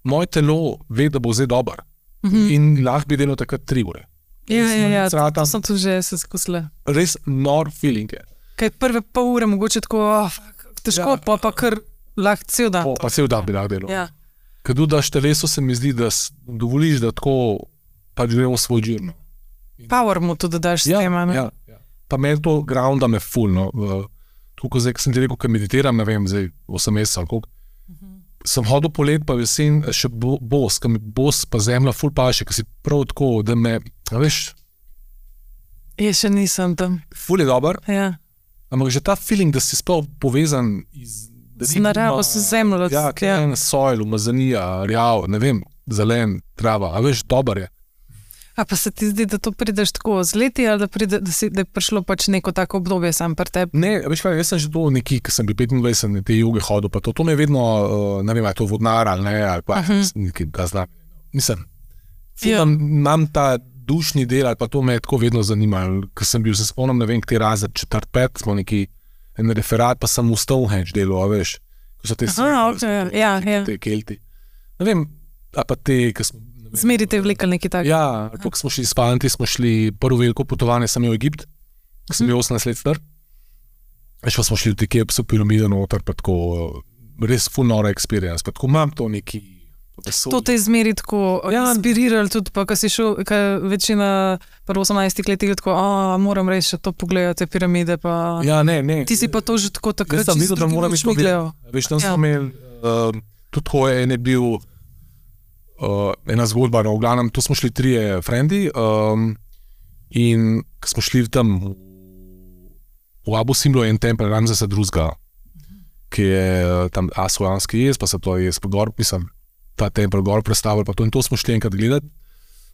[SPEAKER 2] moje telo ve, da bo zdaj dober. In lahko bi delal takrat 3 ure.
[SPEAKER 1] Ja, to sem tu že se skusila.
[SPEAKER 2] Res nor feeling je.
[SPEAKER 1] Kaj prve pol ure mogoče tako, težko, pa kar lahko cel dan.
[SPEAKER 2] Pa cel dan bi lahko delal.
[SPEAKER 1] Ja.
[SPEAKER 2] Kad daš telesu, se mi zdi, da dovoliš, da tako pač gremo svoj džirno.
[SPEAKER 1] Power mu tudi daš s tem, ne?
[SPEAKER 2] Ja. Pa meni to grounda me full, no. Tako zdaj, ko sem ti rekel, ko meditiram, ne vem, zdaj 8 mesecev ali koliko. Sem hodil polet, pa jesen, še bos, ko mi bos pa zemlja ful paše, ko si prav tako, da me, veš...
[SPEAKER 1] Jaz še nisem tam.
[SPEAKER 2] Ful je dober, ampak že ta feeling, da si sploh povezan
[SPEAKER 1] z naravo, z zemljo.
[SPEAKER 2] Ja, soil, umazanija, rjav, ne vem, zelen, trava, a veš, dober je.
[SPEAKER 1] A pa se ti zdi, da to prideš tako z leti, ali da je prišlo pač neko tako obdobje sam pri tebi?
[SPEAKER 2] Ne, veš kaj, jaz sem že to neki, ko sem bil 25, na te juge hodil, pa to me je vedno, ne vem, je to vodnar ali ne, ali pa nekaj, da znam. Mislim, imam ta dušni del, ali pa to me je tako vedno zanimalo, ko sem bil, se spomnim, ne vem, kje razred 4-5, smo neki en referat, pa sem v Stonehenge delal, veš, ko so te te kelti. Ne vem, a pa te, ko smo
[SPEAKER 1] Zmerite vlekli nekaj takega.
[SPEAKER 2] Ja, ko smo šli s fanti, smo šli prvo veliko potovanje, sem imel v Egipt, ko sem bil 18 let star. Še pa smo šli v te Kepsu piramide noter, pa tako res full nora experience, pa tako imam to neki vesolje.
[SPEAKER 1] To te je zmeri tako inspiriralo tudi, pa ko si šel, ko večina prvo 18 letih tako, moram reči, še to pogledati, te piramide, pa...
[SPEAKER 2] Ja, ne.
[SPEAKER 1] Ti si pa to že tako takrat
[SPEAKER 2] čisto videl, da moram
[SPEAKER 1] čisto gledal.
[SPEAKER 2] Veš, tam smo imeli, tudi tako je bil ena zgodba, no, v glavnem, tu smo šli 3 frendi in ko smo šli tam v Abu Simblu je en tempelj Ramzesa II, ki je tam Asuanski jez, pa se to jez pa gor, mislim, ta tempelj gor predstavili, pa to in to smo šli enkrat gledati,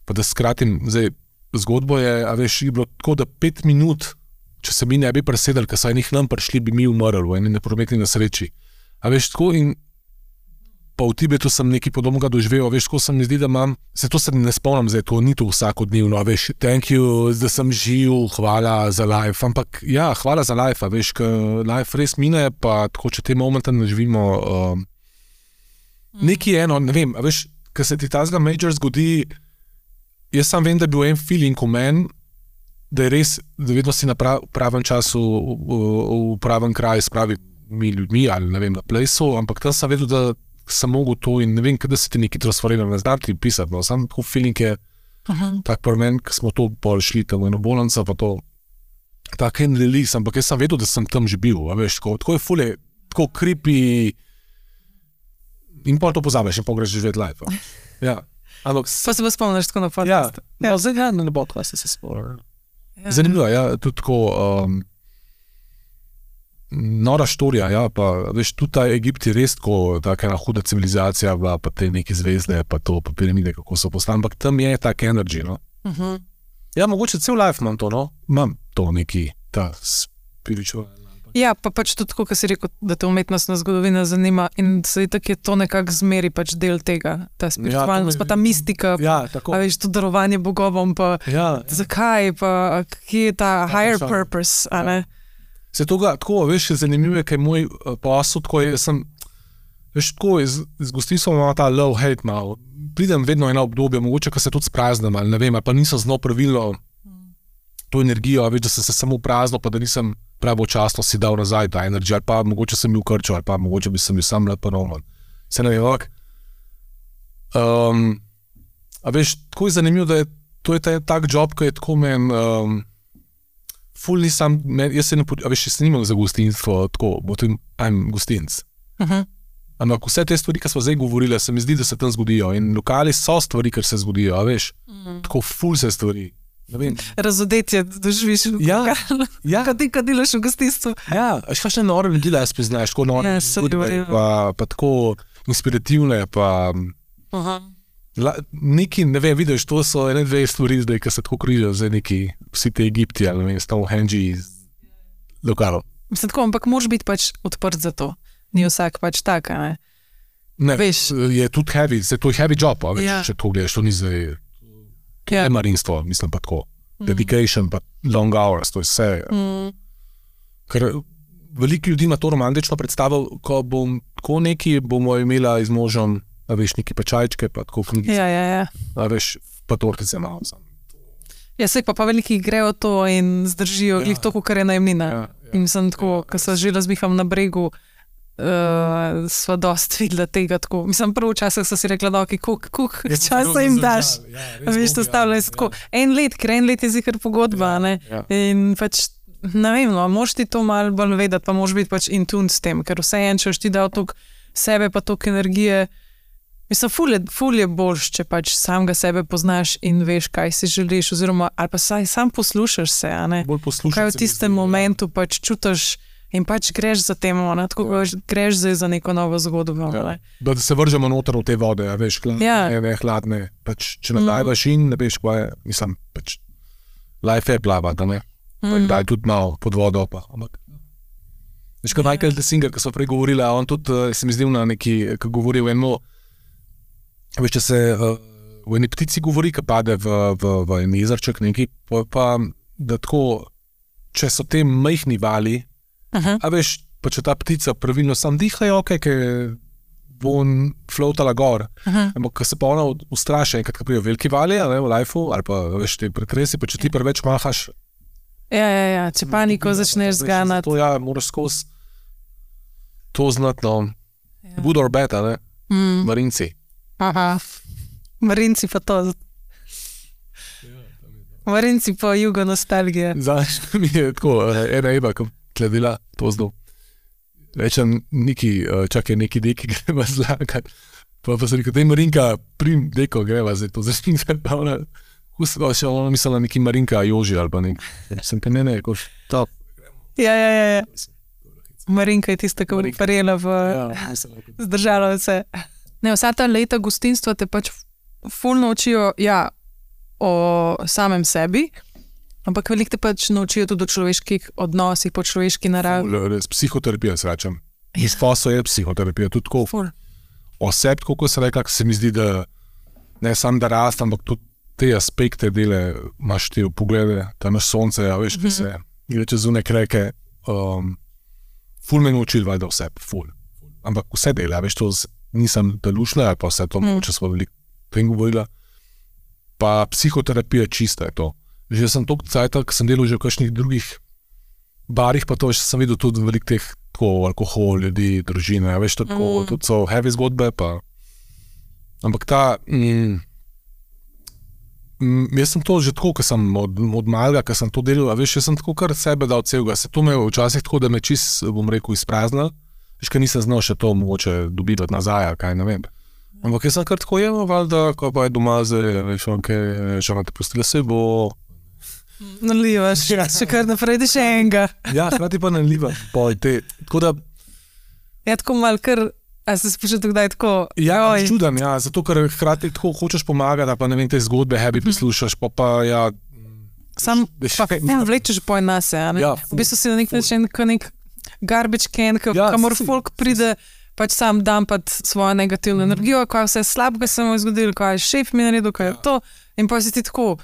[SPEAKER 2] pa da skratim, zdaj, zgodbo je, a veš, je bilo tako, da 5 minut, če se mi ne bi presedali, ker so enih nam prišli, bi mi umrli v eni neprometni nesreči. A veš, tako in pa v Tibetu sem nekaj podobnega doživel, veš, tako se mi zdi, da imam, to se ne spomnim zdaj, to ni to vsakodnevno, veš, thank you, da sem živ, hvala za life, ampak ja, hvala za life, veš, ker life res mine, pa tako, če te momente ne živimo, nekaj eno, ne vem, a veš, ker se ti tazga major zgodi, jaz sam vem, da je bil en feeling v meni, da je res, da vedno si na pravem času, v pravem kraju s pravimi ljudmi, ali ne vem, na plejsu, ampak tam sem vedel, da sem mogel to in ne vem, kada se ti nekaj transferiral, ne znam ti pisati, no, sam tako feeling je tak pri meni, ko smo to pol šli tam v eno bolnico, pa to tak en release, ampak jaz sem vedel, da sem tam že bil, a veš, tako je fulje, tako creepy in pol to pozabiš in pol greš živeti life. Ja. Ampak,
[SPEAKER 1] pa se pa spomniš tako na podcast.
[SPEAKER 2] Ja, zdaj ne bo to, se spomnim. Zanimivo, ja, tudi tako nora štorija, ja, pa veš, tudi ta Egipt je res tako, taka ena huda civilizacija, pa te neke zvezde, pa to, pa piramide, kako so postali, ampak tam je tak energy, no. Ja, mogoče cel life imam to, no, imam to neki, ta spiritual.
[SPEAKER 1] Ja, pa pač tudi tako, ko si rekel, da te umetnostna zgodovina zanima in se tako je to nekako zmeri pač del tega, ta spiritualnost, pa ta mistika,
[SPEAKER 2] tako.
[SPEAKER 1] A veš, to darovanje bogovom, pa zakaj, pa kje je ta higher purpose, a ne?
[SPEAKER 2] Se toga, tako, veš, zanimivo je, kaj moj posel, tako je, sem, veš, tako, z gostinstvom imam ta love-hate malo, pridem vedno ena obdobja, mogoče, ko se tudi spraznem, ali ne vem, ali pa nisem znal pravilno to energijo, veš, da sem se samo prazno, pa da nisem pravočasno si dal nazaj ta energija, ali pa mogoče sem bil krčil, ali pa mogoče bi sem bil sam rad ponovno. Se ne vem, ampak, a veš, tako je zanimivo, da je, to je tak job, ko je tako ful nisem, jaz se ne, veš, jaz se nimam za gostinstvo, tako, bo to I'm gostinc. Ampak vse te stvari, ki smo zdaj govorili, se mi zdi, da se tam zgodijo in lokali so stvari, ker se zgodijo, a veš, tako ful se stvari.
[SPEAKER 1] Razodetje doživiš, kad delaš v gostinstvu.
[SPEAKER 2] Ja, še nore ljudi jaz priznaš, tako nore, pa tako inspirativne, pa neki, ne vem, vidiš, to so ene dve stvari zdaj, ki se tako križajo, zdaj neki, vsi te Egipti, ali ne vem, Stonehenge iz lokalov.
[SPEAKER 1] Mislim tako, ampak moraš biti pač odprt za to. Ni vsak pač tak, ne?
[SPEAKER 2] Ne, veš, je tudi heavy, to je heavy job, veš, če to gledaš, to ni zdaj marinstvo, mislim pa tako. Dedication, pa long hours, to je vse. Ker veliko ljudi ima to romantično predstavo, ko bom tako neki, bomo imela z možem, a veš, neki pečajčke, pa tako knjigice.
[SPEAKER 1] Ja.
[SPEAKER 2] A veš, pa tortice malo sam.
[SPEAKER 1] Ja, sej pa veliki grejo to in zdržijo glih to, kar je najemnina. In sem tako, ko se že razmiham na bregu, sva dost videla tega tako. Mislim, prvo časih so si rekla, da koliko časa jim daš. Veš, to stavljajo se tako. Ker en let je zihar pogodba, ne? In pač, ne vem, no, moš ti to malo bolj vedeti, pa moš biti pač in tune s tem, ker vse en, če ti dal toliko sebe, pa toliko energije. Mislim, ful je boljš, če pač samega sebe poznaš in veš, kaj si želiš, oziroma, ali pa sam poslušaš se, a ne?
[SPEAKER 2] Bolj poslušaš se.
[SPEAKER 1] Kaj v tistem momentu pač čutiš in pač greš za tem, tako greš zdaj za neko novo zgodbo.
[SPEAKER 2] Da se vržemo noter v te vode, veš, hladne, pač, če nadajvaš in ne veš, kaj je, mislim, pač, life je plava, da ne? Daj tudi malo pod vodo, pa, ampak. Veš, kot Michael Singer, ki so prej govorila, on tudi, se mi zdel na neki, ki govori v eno, veš, če se v eni ptici govori, ki pade v en jezerček neki, pa da tako, če so te majhni vali, a veš, pa če ta ptica pravilno sam diha, je okej, ker bo floatala gor. Ampak, ko se pa ona ustraši, enkrat, ko prijo veliki vali, v lifeu, ali pa veš te pretresi, pa če ti preveč mahaš.
[SPEAKER 1] Ja, če paniko začneš zganati.
[SPEAKER 2] To moraš skozi to znati, good or bad, ne? Marinci.
[SPEAKER 1] Marinci pa to. Marinci pa jugo nostalgije.
[SPEAKER 2] Znaš, mi je tako, ena Eva, ko kladila to zdaj. Rečem, čakaj, neki deki greva zlagati. Pa se rekel, dej Marinka, prim deko greva zdaj to začinjati. Še ona mislila neki Marinka Joži ali pa nek. Sem te ne, koš, top.
[SPEAKER 1] Ja. Marinka je tista, ki je parjela zdržala vse. Ne, vsa ta leta gostinstva te pač ful naučijo, o samem sebi, ampak veliko te pač naučijo tudi o človeških odnosih, po človeški naravi.
[SPEAKER 2] Res, psihoterapija se rečem. Izposo je psihoterapija, tudi tako o sebi, kako se rekla, se mi zdi, da ne sam da rast, ampak tudi te aspekte dele, imaš te poglede, ta naš sonce, veš, ki se gre čez zunaj kreke, ful me naučil valjda o sebi, ful. Ampak vse dele, veš, to nisem delušna, pa vse to, če smo veliko tem govorila, pa psihoterapija čista je to. Že sem toliko cajta, ko sem delal že v kakšnih drugih barih, pa to še sem videl tudi veliko teh alkohol, ljudi, družine, veš, tako, tudi so heavy zgodbe, pa. Ampak jaz sem to že tako, ko sem od malega, ko sem to delal, veš, jaz sem tako kar sebe dal celega, se to me včasih tako, da me čist, bom rekel, izpraznil, veš, ker nisem znal še to mogoče dobivati nazaj, kaj ne vem. Ampak jaz sem kar tako jemal, valjda, ko pa je doma zdaj, veš, že vam te pustila se bo.
[SPEAKER 1] Nalivaš, še kar naprej, da še enega.
[SPEAKER 2] Ja, hkrati pa nalivaš, tako da.
[SPEAKER 1] Ja, tako malo kar, a se spočeti kdaj tako?
[SPEAKER 2] Ja, čudem, zato ker hkrati tako hočeš pomagati, pa ne vem, te zgodbe heavy poslušaš, pa ja.
[SPEAKER 1] Sam, pa vlečeš poj nase, a ne? V bistvu si na nek način, nek garbage can, kamor folk pride, pač sam dampati svojo negativno energijo, kaj vse slabega se mu je zgodilo, kaj je šef mi naredil, kaj je to, in pa si ti tako,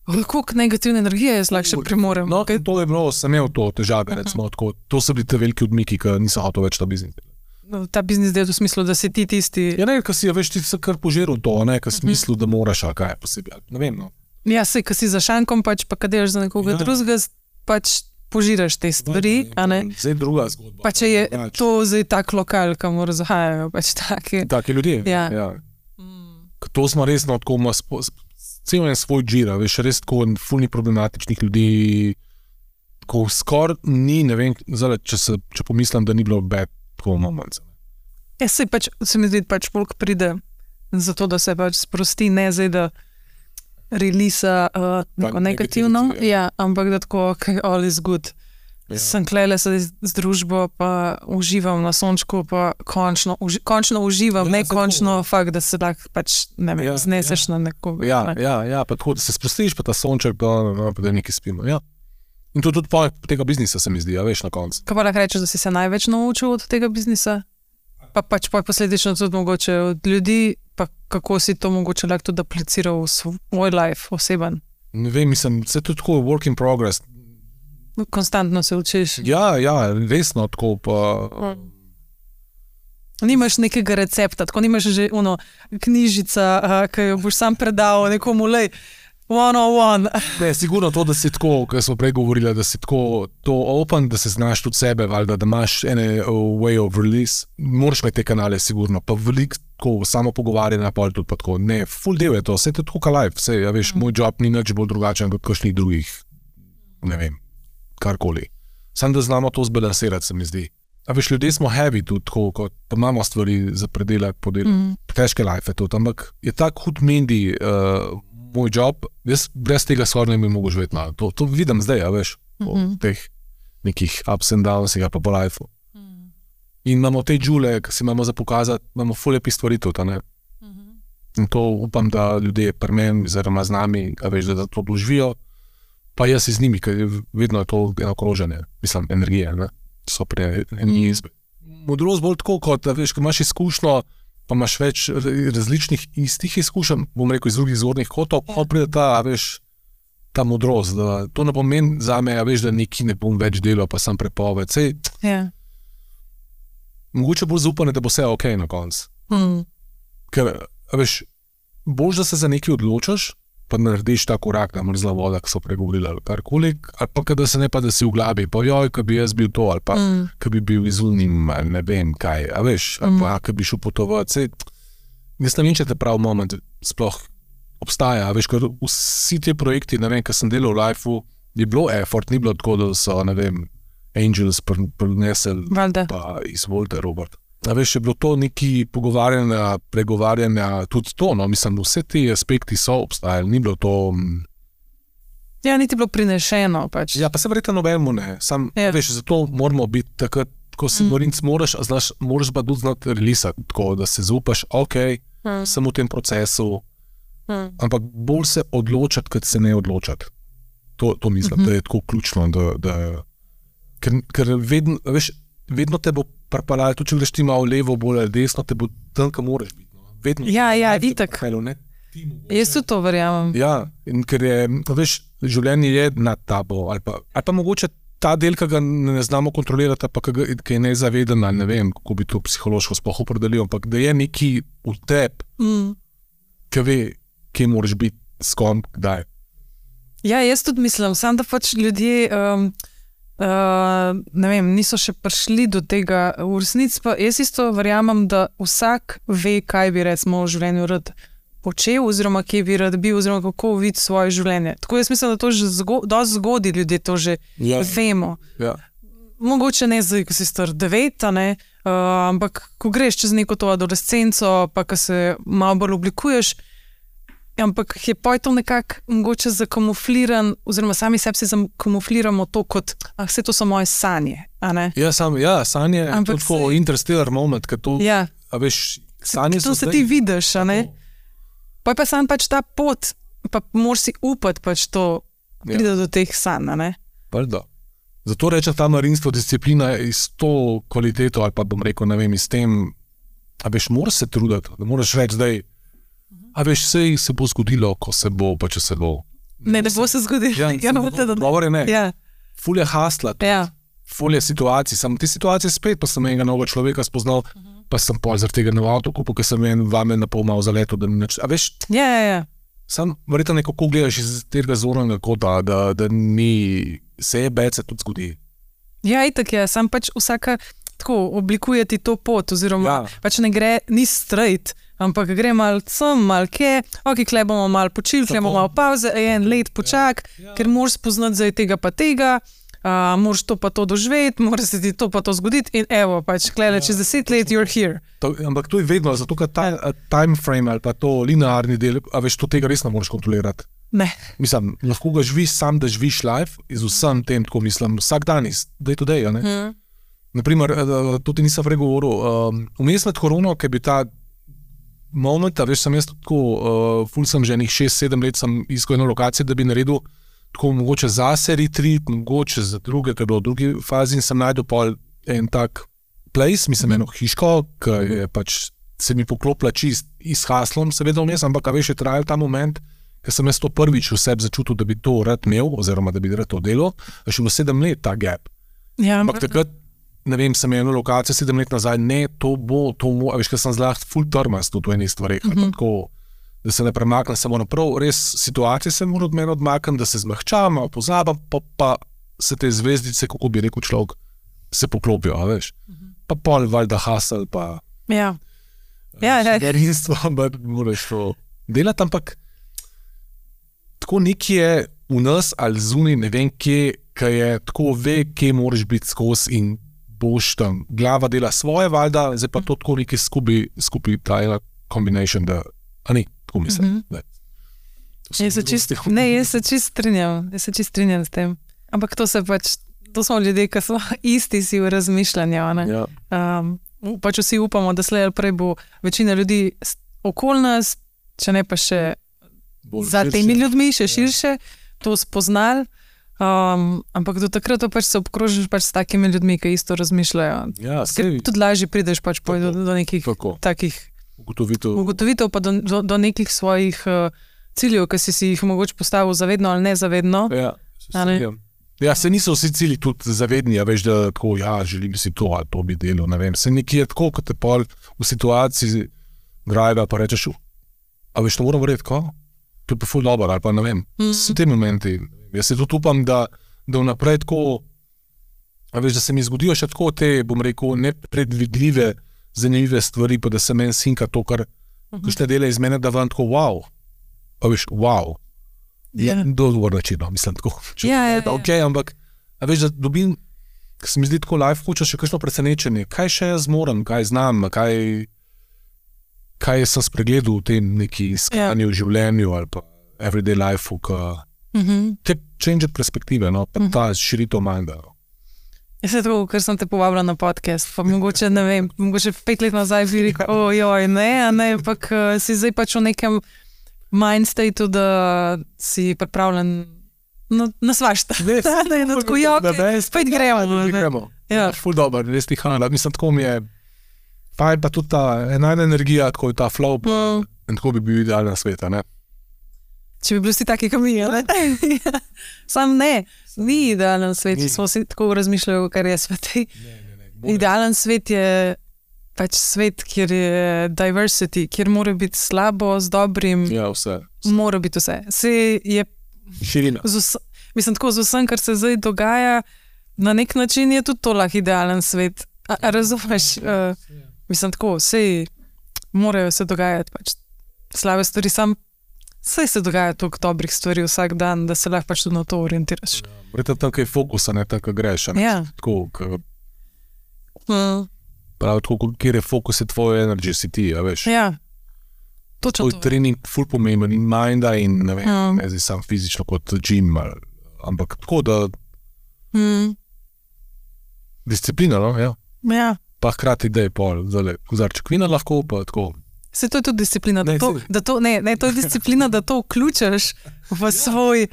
[SPEAKER 1] koliko negativne energije jaz lahko še premorem.
[SPEAKER 2] No, to je bilo, sem imel to težave, recimo, tako, to so bili te veliki odmiki, ki nisem hotel več ta biznis.
[SPEAKER 1] No, ta biznis del v smislu, da si ti tisti.
[SPEAKER 2] Ja, ne, ko si, veš, ti se kar požeral to, ne, ko smislu, da moraš, a kaj je posebej, ne vem, no.
[SPEAKER 1] Ja, sej, ko si za šankom, pač, pa kad delaš za nekoga drugega, pač požiraš te stvari, a ne.
[SPEAKER 2] Zdaj druga zgodba.
[SPEAKER 1] Pa če je to zdaj tak lokal, kamor zahajajo, pač
[SPEAKER 2] taki ljudje, ja. To smo resno, tako ima cel en svoj džira, veš, res tako fulni problematičnih ljudi, ko skoraj ni, ne vem, zdaj, če pomislim, da ni bilo bad, tako moment.
[SPEAKER 1] Ja, sej pač, se mi zdi, pač folk pride zato, da se pač sprosti, ne zdaj, da relisa neko negativno, ampak da tako, okay, all is good. Sem klele se z družbo, pa uživam na sončku, pa končno uživam, ne končno fakt, da se lahko pač, ne vem, zneseš na nekoga.
[SPEAKER 2] Ja, pa tako, da se sprostiš, pa ta sonček, pa da nekaj spimo, ja. In to tudi tega biznisa se mi zdi, veš, na koncu.
[SPEAKER 1] Kaj pa lahko rečeš, da si se največ naučil od tega biznisa? Pa pač posledično tudi mogoče od ljudi, pa kako si to mogoče lahko tudi apliciral v svoj life, oseben?
[SPEAKER 2] Ne vem, mislim, se to tako work in progress.
[SPEAKER 1] Konstantno se učiš.
[SPEAKER 2] Ja, resno, tako pa.
[SPEAKER 1] Nimaš nekega recepta, tako nimaš že knjižica, ki jo boš sam predal nekomu, lej, 101.
[SPEAKER 2] Ne, sigurno to, da si tako, kar smo prej govorili, da si tako to open, da se znaš tudi sebe, valjda, da imaš ene way of release. Moraš imeti te kanale, sigurno, pa veliko tako samo pogovarjanja, pa tudi pa tako. Ne, full del je to, vse je tako ka life, vse, ja veš, moj job ni nič bolj drugačen kot kakšnih drugih, ne vem, karkoli. Sam da znamo to zbalansirati, se mi zdi. A veš, ljudje smo heavy tudi, tako, kot pa imamo stvari za predelati, težke life je tudi, ampak je tak hud mendi moj job, jaz brez tega skoraj ne bi mogel živeti malo. To vidim zdaj, a veš, po teh nekih ups and downs, pa po lifeu. In imamo te džule, ki si imamo za pokazati, imamo ful lepi stvari tudi, ne? In to upam, da ljudje pri meni, oziroma z nami, a veš, da to doživijo, pa jaz z njimi, ker vedno je to eno kroženje, mislim, energije, ne? So pri eni izbi. Modrost bolj tako, kot, veš, ko imaš izkušnjo, pa imaš več različnih istih izkušenj, bom rekel, iz drugih zornih kotov, pa pride ta, veš, ta modrost, da to ne pomeni zame, veš, da neki ne bom več delal, pa sam prepoved, sej.
[SPEAKER 1] Ja.
[SPEAKER 2] Mogoče bolj zaupanje, da bo vse okej na koncu. Ker, veš, boš, da se za nekaj odločiš, pa narediš ta korak, na mrzla voda, ki so pregovorili ali karkoli, ali pa da se ne pa, da si v glavi, pa joj, ka bi jaz bil to, ali pa ka bi bil izunim, ali ne vem kaj, a veš, ali pa ka bi šel potovati. Jaz ne vem, če te prav moment sploh obstaja, veš, ker vsi ti projekti, ne vem, kaj sem delal v Lifeu, je bilo effort, ni bilo tako, da so, ne vem, Angels prinesel, pa izvolite, Robert. A veš, je bilo to neki pogovarjanja, pregovarjanja, tudi to, no, mislim, vse ti aspekti so obstajali, ni bilo to...
[SPEAKER 1] Ja, niti bilo prinešeno, pač.
[SPEAKER 2] Ja, pa se verjetno nobenemu ne, sam, veš, zato moramo biti takrat, ko si morinc moraš, znaš, moraš pa tudi znati relisati, tako, da se zaupaš, sem v tem procesu, ampak bolj se odločati, kot se ne odločati. To mislim, da je tako ključno, ker vedno, veš, vedno te bo pripalali, tudi če greš ti malo levo, bolj ali desno, te bo tam, kam moraš biti. No. Vedno.
[SPEAKER 1] Ja, itak. Jaz tudi to verjamem.
[SPEAKER 2] Ja, in ker je, veš, življenje je nad tabo, ali pa mogoče ta del, ki ga ne znamo kontrolirati, pa ki je nezaveden, ali ne vem, kako bi to psihološko sploh opredelil, ampak da je neki v tebi, ki ve, kje moraš biti, s kom, kdaj.
[SPEAKER 1] Ja, jaz tudi mislim, sam da pač ljudje... ne vem, niso še prišli do tega v resnici, pa jaz isto verjamem, da vsak ve, kaj bi recimo v življenju rad počel, oziroma kje bi rad bil, oziroma kako vidi svoje življenje. Tako jaz mislim, da to že dosti zgodaj ljudje to že vemo.
[SPEAKER 2] Ja.
[SPEAKER 1] Mogoče ne zdaj, ko si star 9, ampak ko greš čez neko to adolescenco, pa ko se malo bolj oblikuješ, ampak je to nekako mogoče zakamufliran, oziroma sami sebi si zakamufliramo to kot, vse to so moje sanje, a ne?
[SPEAKER 2] Ja, sanje, ampak tako interstellar moment, ker to, a veš, sanje so
[SPEAKER 1] zdaj. To se ti vidiš, a ne? Pa sam pač ta pot, pa moraš si upati pač to, pride do teh sanj, a ne?
[SPEAKER 2] Prdo. Zato rečem, ta marinstvo disciplina je s to kvaliteto, ali pa bom rekel, ne vem, s tem, a veš, moraš se truditi, da moraš reči zdaj, a veš, se bo zgodilo, ko se bo, pa če se bo.
[SPEAKER 1] Ne bo se zgodilo.
[SPEAKER 2] Govore ne. Ful je hasla, ful je situacij. Sam te situacije spet, pa sem enega novega človeka spoznal, pa sem pol zaradi tega na avtokupu, ker sem vame na pol malo zaletel, da ni nič. A veš, sam verjetno nekako gledaš iz tega zornega kota, da ni se se tudi zgodi.
[SPEAKER 1] Ja, itak je, sam pač vsaka tako oblikuje ti to pot, oziroma pač ne gre, ni straight, ampak gre malo sem, malo kje, kle bomo malo počili, kle bomo malo pauze, en let počak, ker moraš spoznati zdaj tega pa tega, moraš to pa to doživeti, moraš se ti to pa to zgoditi in evo, pač klele, čez 10 let you're here.
[SPEAKER 2] Ampak to je vedno, zato ker ta time frame ali pa to linearni del, a veš, to tega res ne moraš kontrolirati.
[SPEAKER 1] Ne.
[SPEAKER 2] Mislim, lahko ga živiš sam, da živiš life, iz vsem tem, tako mislim, vsak dan iz day to day, a ne? Naprimer, to ti nisem pregovoril, vmes med korono, ki bi ta moment, veš, sem jaz tako, ful sem že enih 6-7 let sem iskal eno lokacijo, da bi naredil tako mogoče zase retreat, mogoče za druge, ker v drugi fazi in sem najdel pol en tak place, mislim eno hiško, ki je pač se mi poklopila čist s haslom, seveda vmes, ampak veš, je trajal ta moment, ker sem jaz to prvič v sebi začutil, da bi to rad imel, oziroma da bi rad to delal, še bilo 7 let ta gap.
[SPEAKER 1] Ja,
[SPEAKER 2] ampak takrat, ne vem, sem eno lokacijo 7 let nazaj, ne, to bo, veš, ker sem zlah ful trmast v enih stvareh, tako, da se ne premaknem samo naprav, res situacije se mora od mene odmaknem, da se zmehčam, malo pozabam, pa se te zvezdice, kako bi rekel človek, se poklopijo, a veš. Pa pol valjda hasel, pa rinstvo, moraš to delati, ampak tako nekje je v nas ali zunaj, ne vem kje, ki je tako ve, kje moraš biti skozi in boš tam. Glava dela svoje valjda, zdaj pa to tako nekaj skupaj ta combination, da, a ni, tako mislim.
[SPEAKER 1] Jaz se čist strinjam s tem. Ampak to se pač, to smo ljudje, ki so isti si v razmišljanju, ne? Pač vsi upamo, da slej ali prej bo večina ljudi okoli nas, če ne pa še za temi ljudmi, še širše, to spoznali. Ampak do takrat pač se obkrožiš pač s takimi ljudmi, ki isto razmišljajo. Ker tudi lažje prideš pač do nekih takih ugotovitev, pa do nekih svojih ciljev, ki si jih mogoče postavil zavedno ali nezavedno.
[SPEAKER 2] Se niso vsi cilji tudi zavedni, veš, da tako, želim si to ali to bi delal, ne vem. Se nekje je tako, kot te pol v situaciji drive, pa rečeš, a veš, to moram verjeti, ko? To je pa ful dobro, ali pa ne vem. So te momenti. Jaz se tudi upam, da vnaprej tako, a veš, da se mi zgodijo še tako te, bom rekel, nepredvidljive, zanimive stvari, pa da se meni sinka to, kar kakšne dele iz mene, da vam tako, wow. A veš, wow. Dogovor načino, mislim tako. Ok, ampak, a veš, da dobim, ker se mi zdi tako life hoče še kakšno presenečenje, kaj še jaz moram, kaj znam, kaj sem spregledal v tem neki iskanju v življenju ali pa everyday life, te change perspektive, no, pa ta širitev minda.
[SPEAKER 1] Jaz se tako, ker sem te povabila na podcast, pa mogoče, ne vem, mogoče 5 let nazaj bi rekel, ne, ampak si zdaj pač v nekem mindstateu, da si pripravljen na svašta. Da je tako, spet gremo.
[SPEAKER 2] Ful dober, res ti hvala. Mislim, tako mi je, pa tudi ta enajna energija, tako je ta flow, in tako bi bil idealna sveta, ne?
[SPEAKER 1] Če bi bili vsi taki, kot mi, ne? Sam ne, ni idealen svet, če smo si tako razmišljali, kar je svet. Idealen svet je pač svet, kjer je diversity, kjer mora biti slabo z dobrim.
[SPEAKER 2] Ja, vse.
[SPEAKER 1] Mora biti vse. Vse je
[SPEAKER 2] širina.
[SPEAKER 1] Mislim, tako z vsem, kar se zdaj dogaja, na nek način je tudi to lahko idealen svet. A razumeš? Mislim, tako, vse morajo se dogajati, pač slabe stvari, saj se dogaja toliko dobrih stvari vsak dan, da se lahko pač tudi na to orientiraš.
[SPEAKER 2] Vreta tam, kaj je fokusa, ne tam, kaj greš. Tako, prav tako, kjer je fokus, je tvoje energy, si ti, a veš.
[SPEAKER 1] Ja, točno to.
[SPEAKER 2] Tvoj trening ful pomemben in minda in ne vem, ne zdaj sam fizično kot gym, ampak tako, da disciplina, no, ja.
[SPEAKER 1] Ja.
[SPEAKER 2] Pa hkrati, da je pol, kozarček vina lahko, pa tako.
[SPEAKER 1] Se to je tudi disciplina, to je disciplina, da to vključaš v svoj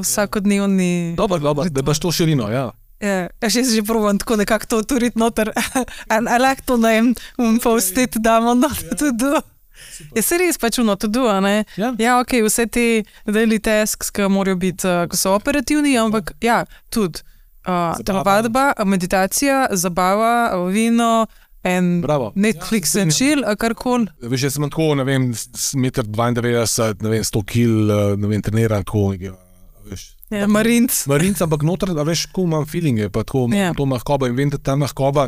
[SPEAKER 1] vsakodnevni...
[SPEAKER 2] Dobro, da imaš to širino, ja.
[SPEAKER 1] Jaz že probam tako nekako to turiti noter, I like to name, post-it damo noter to do. Je se res pač to do, a ne? Ja, ok, vse te daily tasks, ki morajo biti, ko so operativni, ampak ja, tudi vadba, meditacija, zabava, vino, Netflix and chill, a karkoli.
[SPEAKER 2] Veš, jaz sem tako, ne vem, 1,92 m, ne vem, 100 kg, ne vem, treniram tako, veš.
[SPEAKER 1] Ja, marinc,
[SPEAKER 2] ampak noter, veš, tako imam feelinge, pa tako, to mahkoba in vem, da ta mahkoba,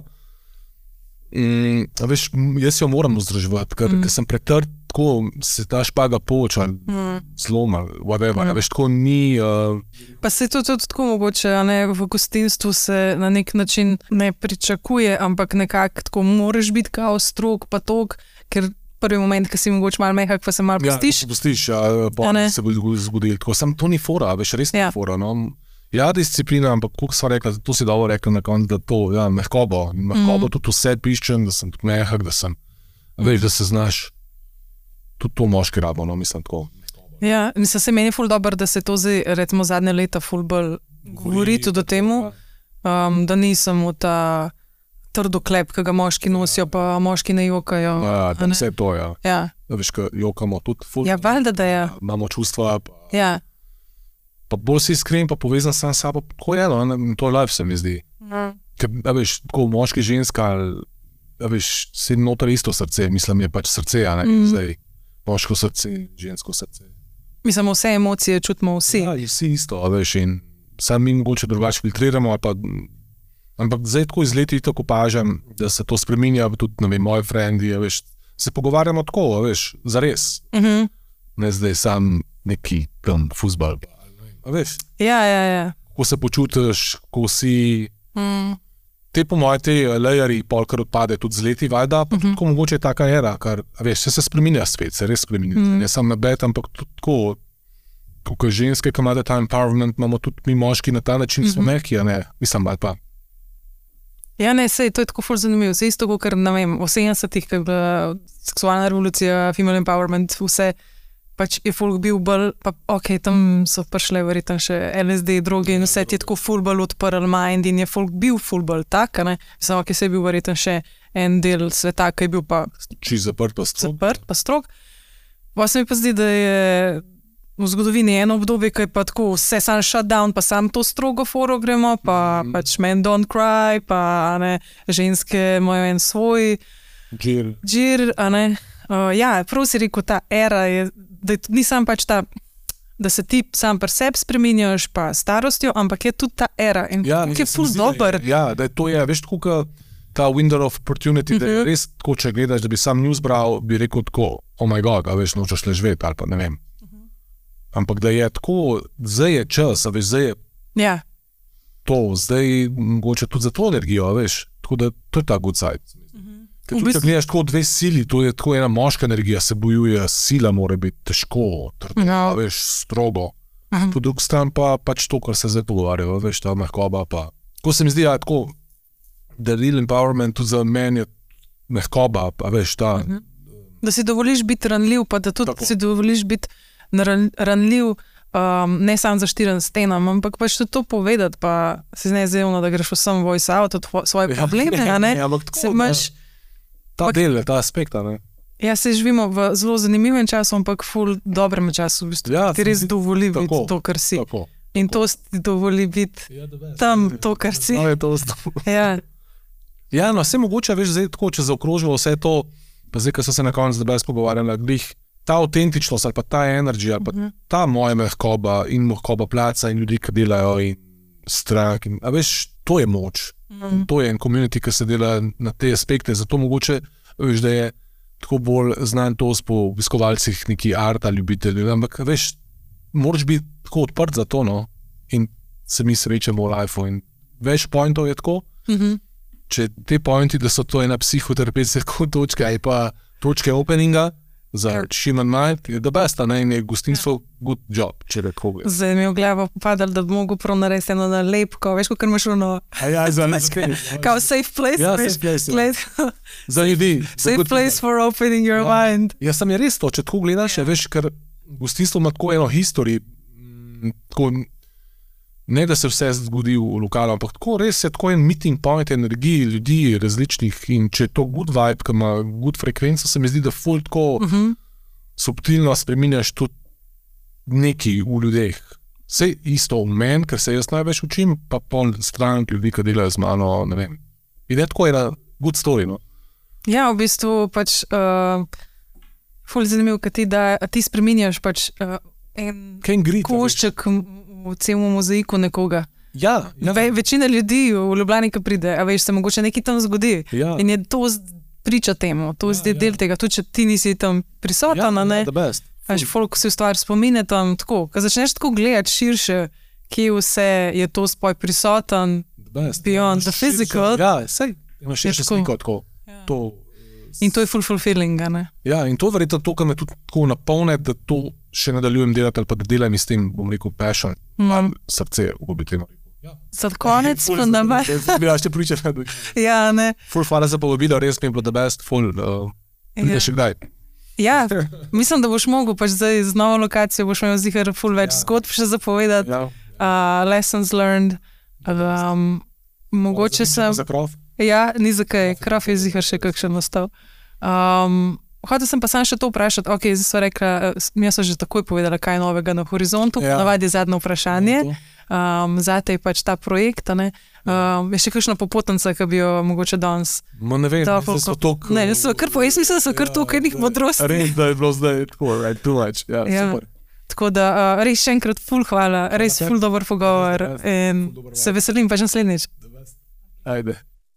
[SPEAKER 2] veš, jaz jo moram vzdrževati, ker sem pretrd, tako se ta špaga poča, zloma, whatever, veš, tako ni...
[SPEAKER 1] Pa se to tudi tako mogoče, a ne, v gostinstvu se na nek način ne pričakuje, ampak nekako tako moraš biti kao strog, pa tok, ker prvi moment, ko si mogoče malo mehak, pa se malo pustiš.
[SPEAKER 2] Ja, pustiš, pa se bo zgodil, tako sem, to ni fora, veš, res ni fora, no. Ja, disciplina, ampak koliko sva rekla, to si dobro rekla na koncu, da to, ja, mehkobo tudi vse piščem, da sem tudi mehak, da sem, veš, da se znaš, tudi to moški rabo, no, mislim tako.
[SPEAKER 1] Ja, mislim, se meni ful dobro, da se to zdaj, recimo zadnje leta ful bolj govori tudi o temu, da nisem v ta trdoklep, ki ga moški nosijo, pa moški ne jokajo.
[SPEAKER 2] Ja, da vse to, ja.
[SPEAKER 1] Ja.
[SPEAKER 2] Veš, ko jokamo tudi ful.
[SPEAKER 1] Ja, valjda, da je.
[SPEAKER 2] Imamo čustva,
[SPEAKER 1] ja.
[SPEAKER 2] Pa bolj si iskren, pa povezan sam s sabo, tako je, no, to je life, se mi zdi. Ker, veš, tako moški, ženska, veš, se noter isto srce, mislim, je pač srce, a ne, zdaj. Moško srce, žensko srce.
[SPEAKER 1] Mislim, vse emocije čutimo vsi.
[SPEAKER 2] Ja, vsi isto, veš, in sam mi mogoče drugače filtriramo, ampak zdaj tako iz leti tako opažam, da se to spreminja, tudi, ne vem, moji frendi, veš, se pogovarjamo tako, veš, zares. Ne zdaj sam neki fuzbal, veš.
[SPEAKER 1] Ja.
[SPEAKER 2] Ko se počutiš, ko si... Te po moje, te layeri polkar odpade tudi z leti, valjda, pa tudi mogoče je taka era, kar, veš, se spreminja svet, se res spreminja. Ne sam nabed, ampak tudi tako, kot ženske, ki imate ta empowerment, imamo tudi mi moški na ta način, smo mehki, a ne, mislim, ali pa.
[SPEAKER 1] Ja, ne, sej, to je tako ful zanimivo, vse isto, ker, ne vem, v 70-ih, ko je bila seksualna revolucija, female empowerment, vse, pač je folk bil bolj, pa ok, tam so prišle verjetno še LSD, droge in vse ti je tako ful bolj odprl mind in je folk bil ful bolj tak, ne? Samo, ok, se je bil verjetno še en del sveta, ki je bil pa...
[SPEAKER 2] Čisto zaprt pa strog.
[SPEAKER 1] Pa se mi pa zdi, da je v zgodovini eno obdobje, ki je pa tako vse sam shutdown, pa sam to strogo foro gremo, pa pač men don't cry, pa ne, ženske imajo en svoj Džir, a ne. Ja, prav si rekel, ta era je, da ni sam pač ta, da se ti sam pri sebi spreminjaš pa starostjo, ampak je tudi ta era in je ful dober.
[SPEAKER 2] Ja, da je to je, veš, tako ta window of opportunity, da je res tako, če gledaš, da bi sam news bral, bi rekel tako, oh my god, a veš, nočeš le živeti ali pa ne vem. Ampak da je tako, zdaj je čas, a veš, zdaj je to, zdaj mogoče tudi za to energijo, veš, tako da to je ta good side. Tudi, če gledaš tako dve sili, to je tako ena moška energija, se bojuje, sila mora biti težko, veš, strogo. Po drugi strani pa pač to, kar se zdaj pogovarjajo, veš, ta mehkoba pa. Ko se mi zdi, tako, da real empowerment tudi za meni je mehkoba, pa veš, ta.
[SPEAKER 1] Da si dovoliš biti ranljiv, pa da tudi si dovoliš biti ranljiv, ne samo za 4 stenam, ampak pač to povedati, pa si nezevno, da greš vsem voice out od svoje probleme, a ne? Se imaš
[SPEAKER 2] ta del, ta aspekt, ne?
[SPEAKER 1] Ja, se živimo v zelo zanimivem času, ampak ful dobrem času, v bistvu. Ja, ti res dovoli biti to, kar si. Tako. In to ti dovoli biti tam, to, kar si.
[SPEAKER 2] No, je to ja, no, vse mogoče, veš, zdaj tako, če zaokrožilo vse to, pa zdaj, ko so se na koncu zdaj pogovarjali, glih, ta autentičnost ali pa ta energy, ali pa ta moja mehkoba in mehkoba placa in ljudi, ki delajo in strank, in, a veš, to je moč. To je en community, ki se dela na te aspekte, zato mogoče, veš, da je tako bolj znan to po obiskovalcih neki arta ljubitelji, ampak veš, moraš biti tako odprt za to, no, in se mi srečamo v lifeu in več pointov je tako, če te pointi, da so to ena psihoterapevtska točka, ali pa točke openinga, za human mind, je the best, ne, in je gostinstvo good job, če reko.
[SPEAKER 1] Zdaj mi je v glavo padalo, da bi mogel prav narediti eno nalepko, veš, kakor imaš ono...
[SPEAKER 2] Ja, za naskreni.
[SPEAKER 1] Kao safe place.
[SPEAKER 2] Ja, safe place. Za ljudi.
[SPEAKER 1] Safe place for opening your mind.
[SPEAKER 2] Ja, sam je res to, če tako gledaš, veš, ker gostinstvo ima tako eno history, tako, ne da se vse zgodi v lokalu, ampak tako res je tako en meeting point energiji ljudi različnih in če je to good vibe, ki ima good frekvenco, se mi zdi, da ful tako subtilno spreminjaš tudi nekaj v ljudeh. Vse isto v meni, ker se jaz največ učim, pa pol stran ljudi, ki delajo z mano, ne vem. In je tako ena good story, no.
[SPEAKER 1] Ja, v bistvu pač ful zanimiv, kad ti spreminjaš pač en košček v celom mozaiku nekoga.
[SPEAKER 2] Ja.
[SPEAKER 1] Večina ljudi v Ljubljani, ki pride, a veš, se mogoče nekaj tam zgodi.
[SPEAKER 2] Ja.
[SPEAKER 1] In je to priča temu, to je del tega, tudi če ti nisi tam prisotan, ne?
[SPEAKER 2] The best.
[SPEAKER 1] Až folk si v stvar spomine tam tako, ko začneš tako gledati širše, kje vse je to spoj prisotan, beyond the physical.
[SPEAKER 2] Ja, sej, imaš širše sliko tako.
[SPEAKER 1] In to je fulfilling, ne?
[SPEAKER 2] Ja, in to verjetno to, kar me tudi tako napolne, da to še nadaljujem delati, ali pa da delam s tem, bom rekel, passion, srce, bi temu rekel.
[SPEAKER 1] Za konec, pa da me...
[SPEAKER 2] Bila še pričaš.
[SPEAKER 1] Ja, ne.
[SPEAKER 2] Ful hvala za povabilo, res mi je bilo the best, ful, prideš še kdaj.
[SPEAKER 1] Ja, mislim, da boš mogel pač zdaj z novo lokacijo, boš imel zihar ful več zgodb še zapovedati, lessons learned, mogoče sem...
[SPEAKER 2] Za krof?
[SPEAKER 1] Ja, ni za kaj, krof je zihar še kakšen ostal. Hotel sem pa sam še to vprašati, ok, zdaj sva rekla, jaz sem že takoj povedala, kaj je novega na horizontu, navadi je zadnje vprašanje, zate je pač ta projekt, ne, je še kakšna popotnica, ki bi jo mogoče danes...
[SPEAKER 2] Ma ne vem, da so tok...
[SPEAKER 1] Ne, jaz mislim, da so kar tok enih modrosti.
[SPEAKER 2] Res, da je bilo zdaj tako, right, too much, ja, super.
[SPEAKER 1] Tako da, res še enkrat ful hvala, res ful dober pogovor in se veselim pač naslednjič.
[SPEAKER 2] Ajde.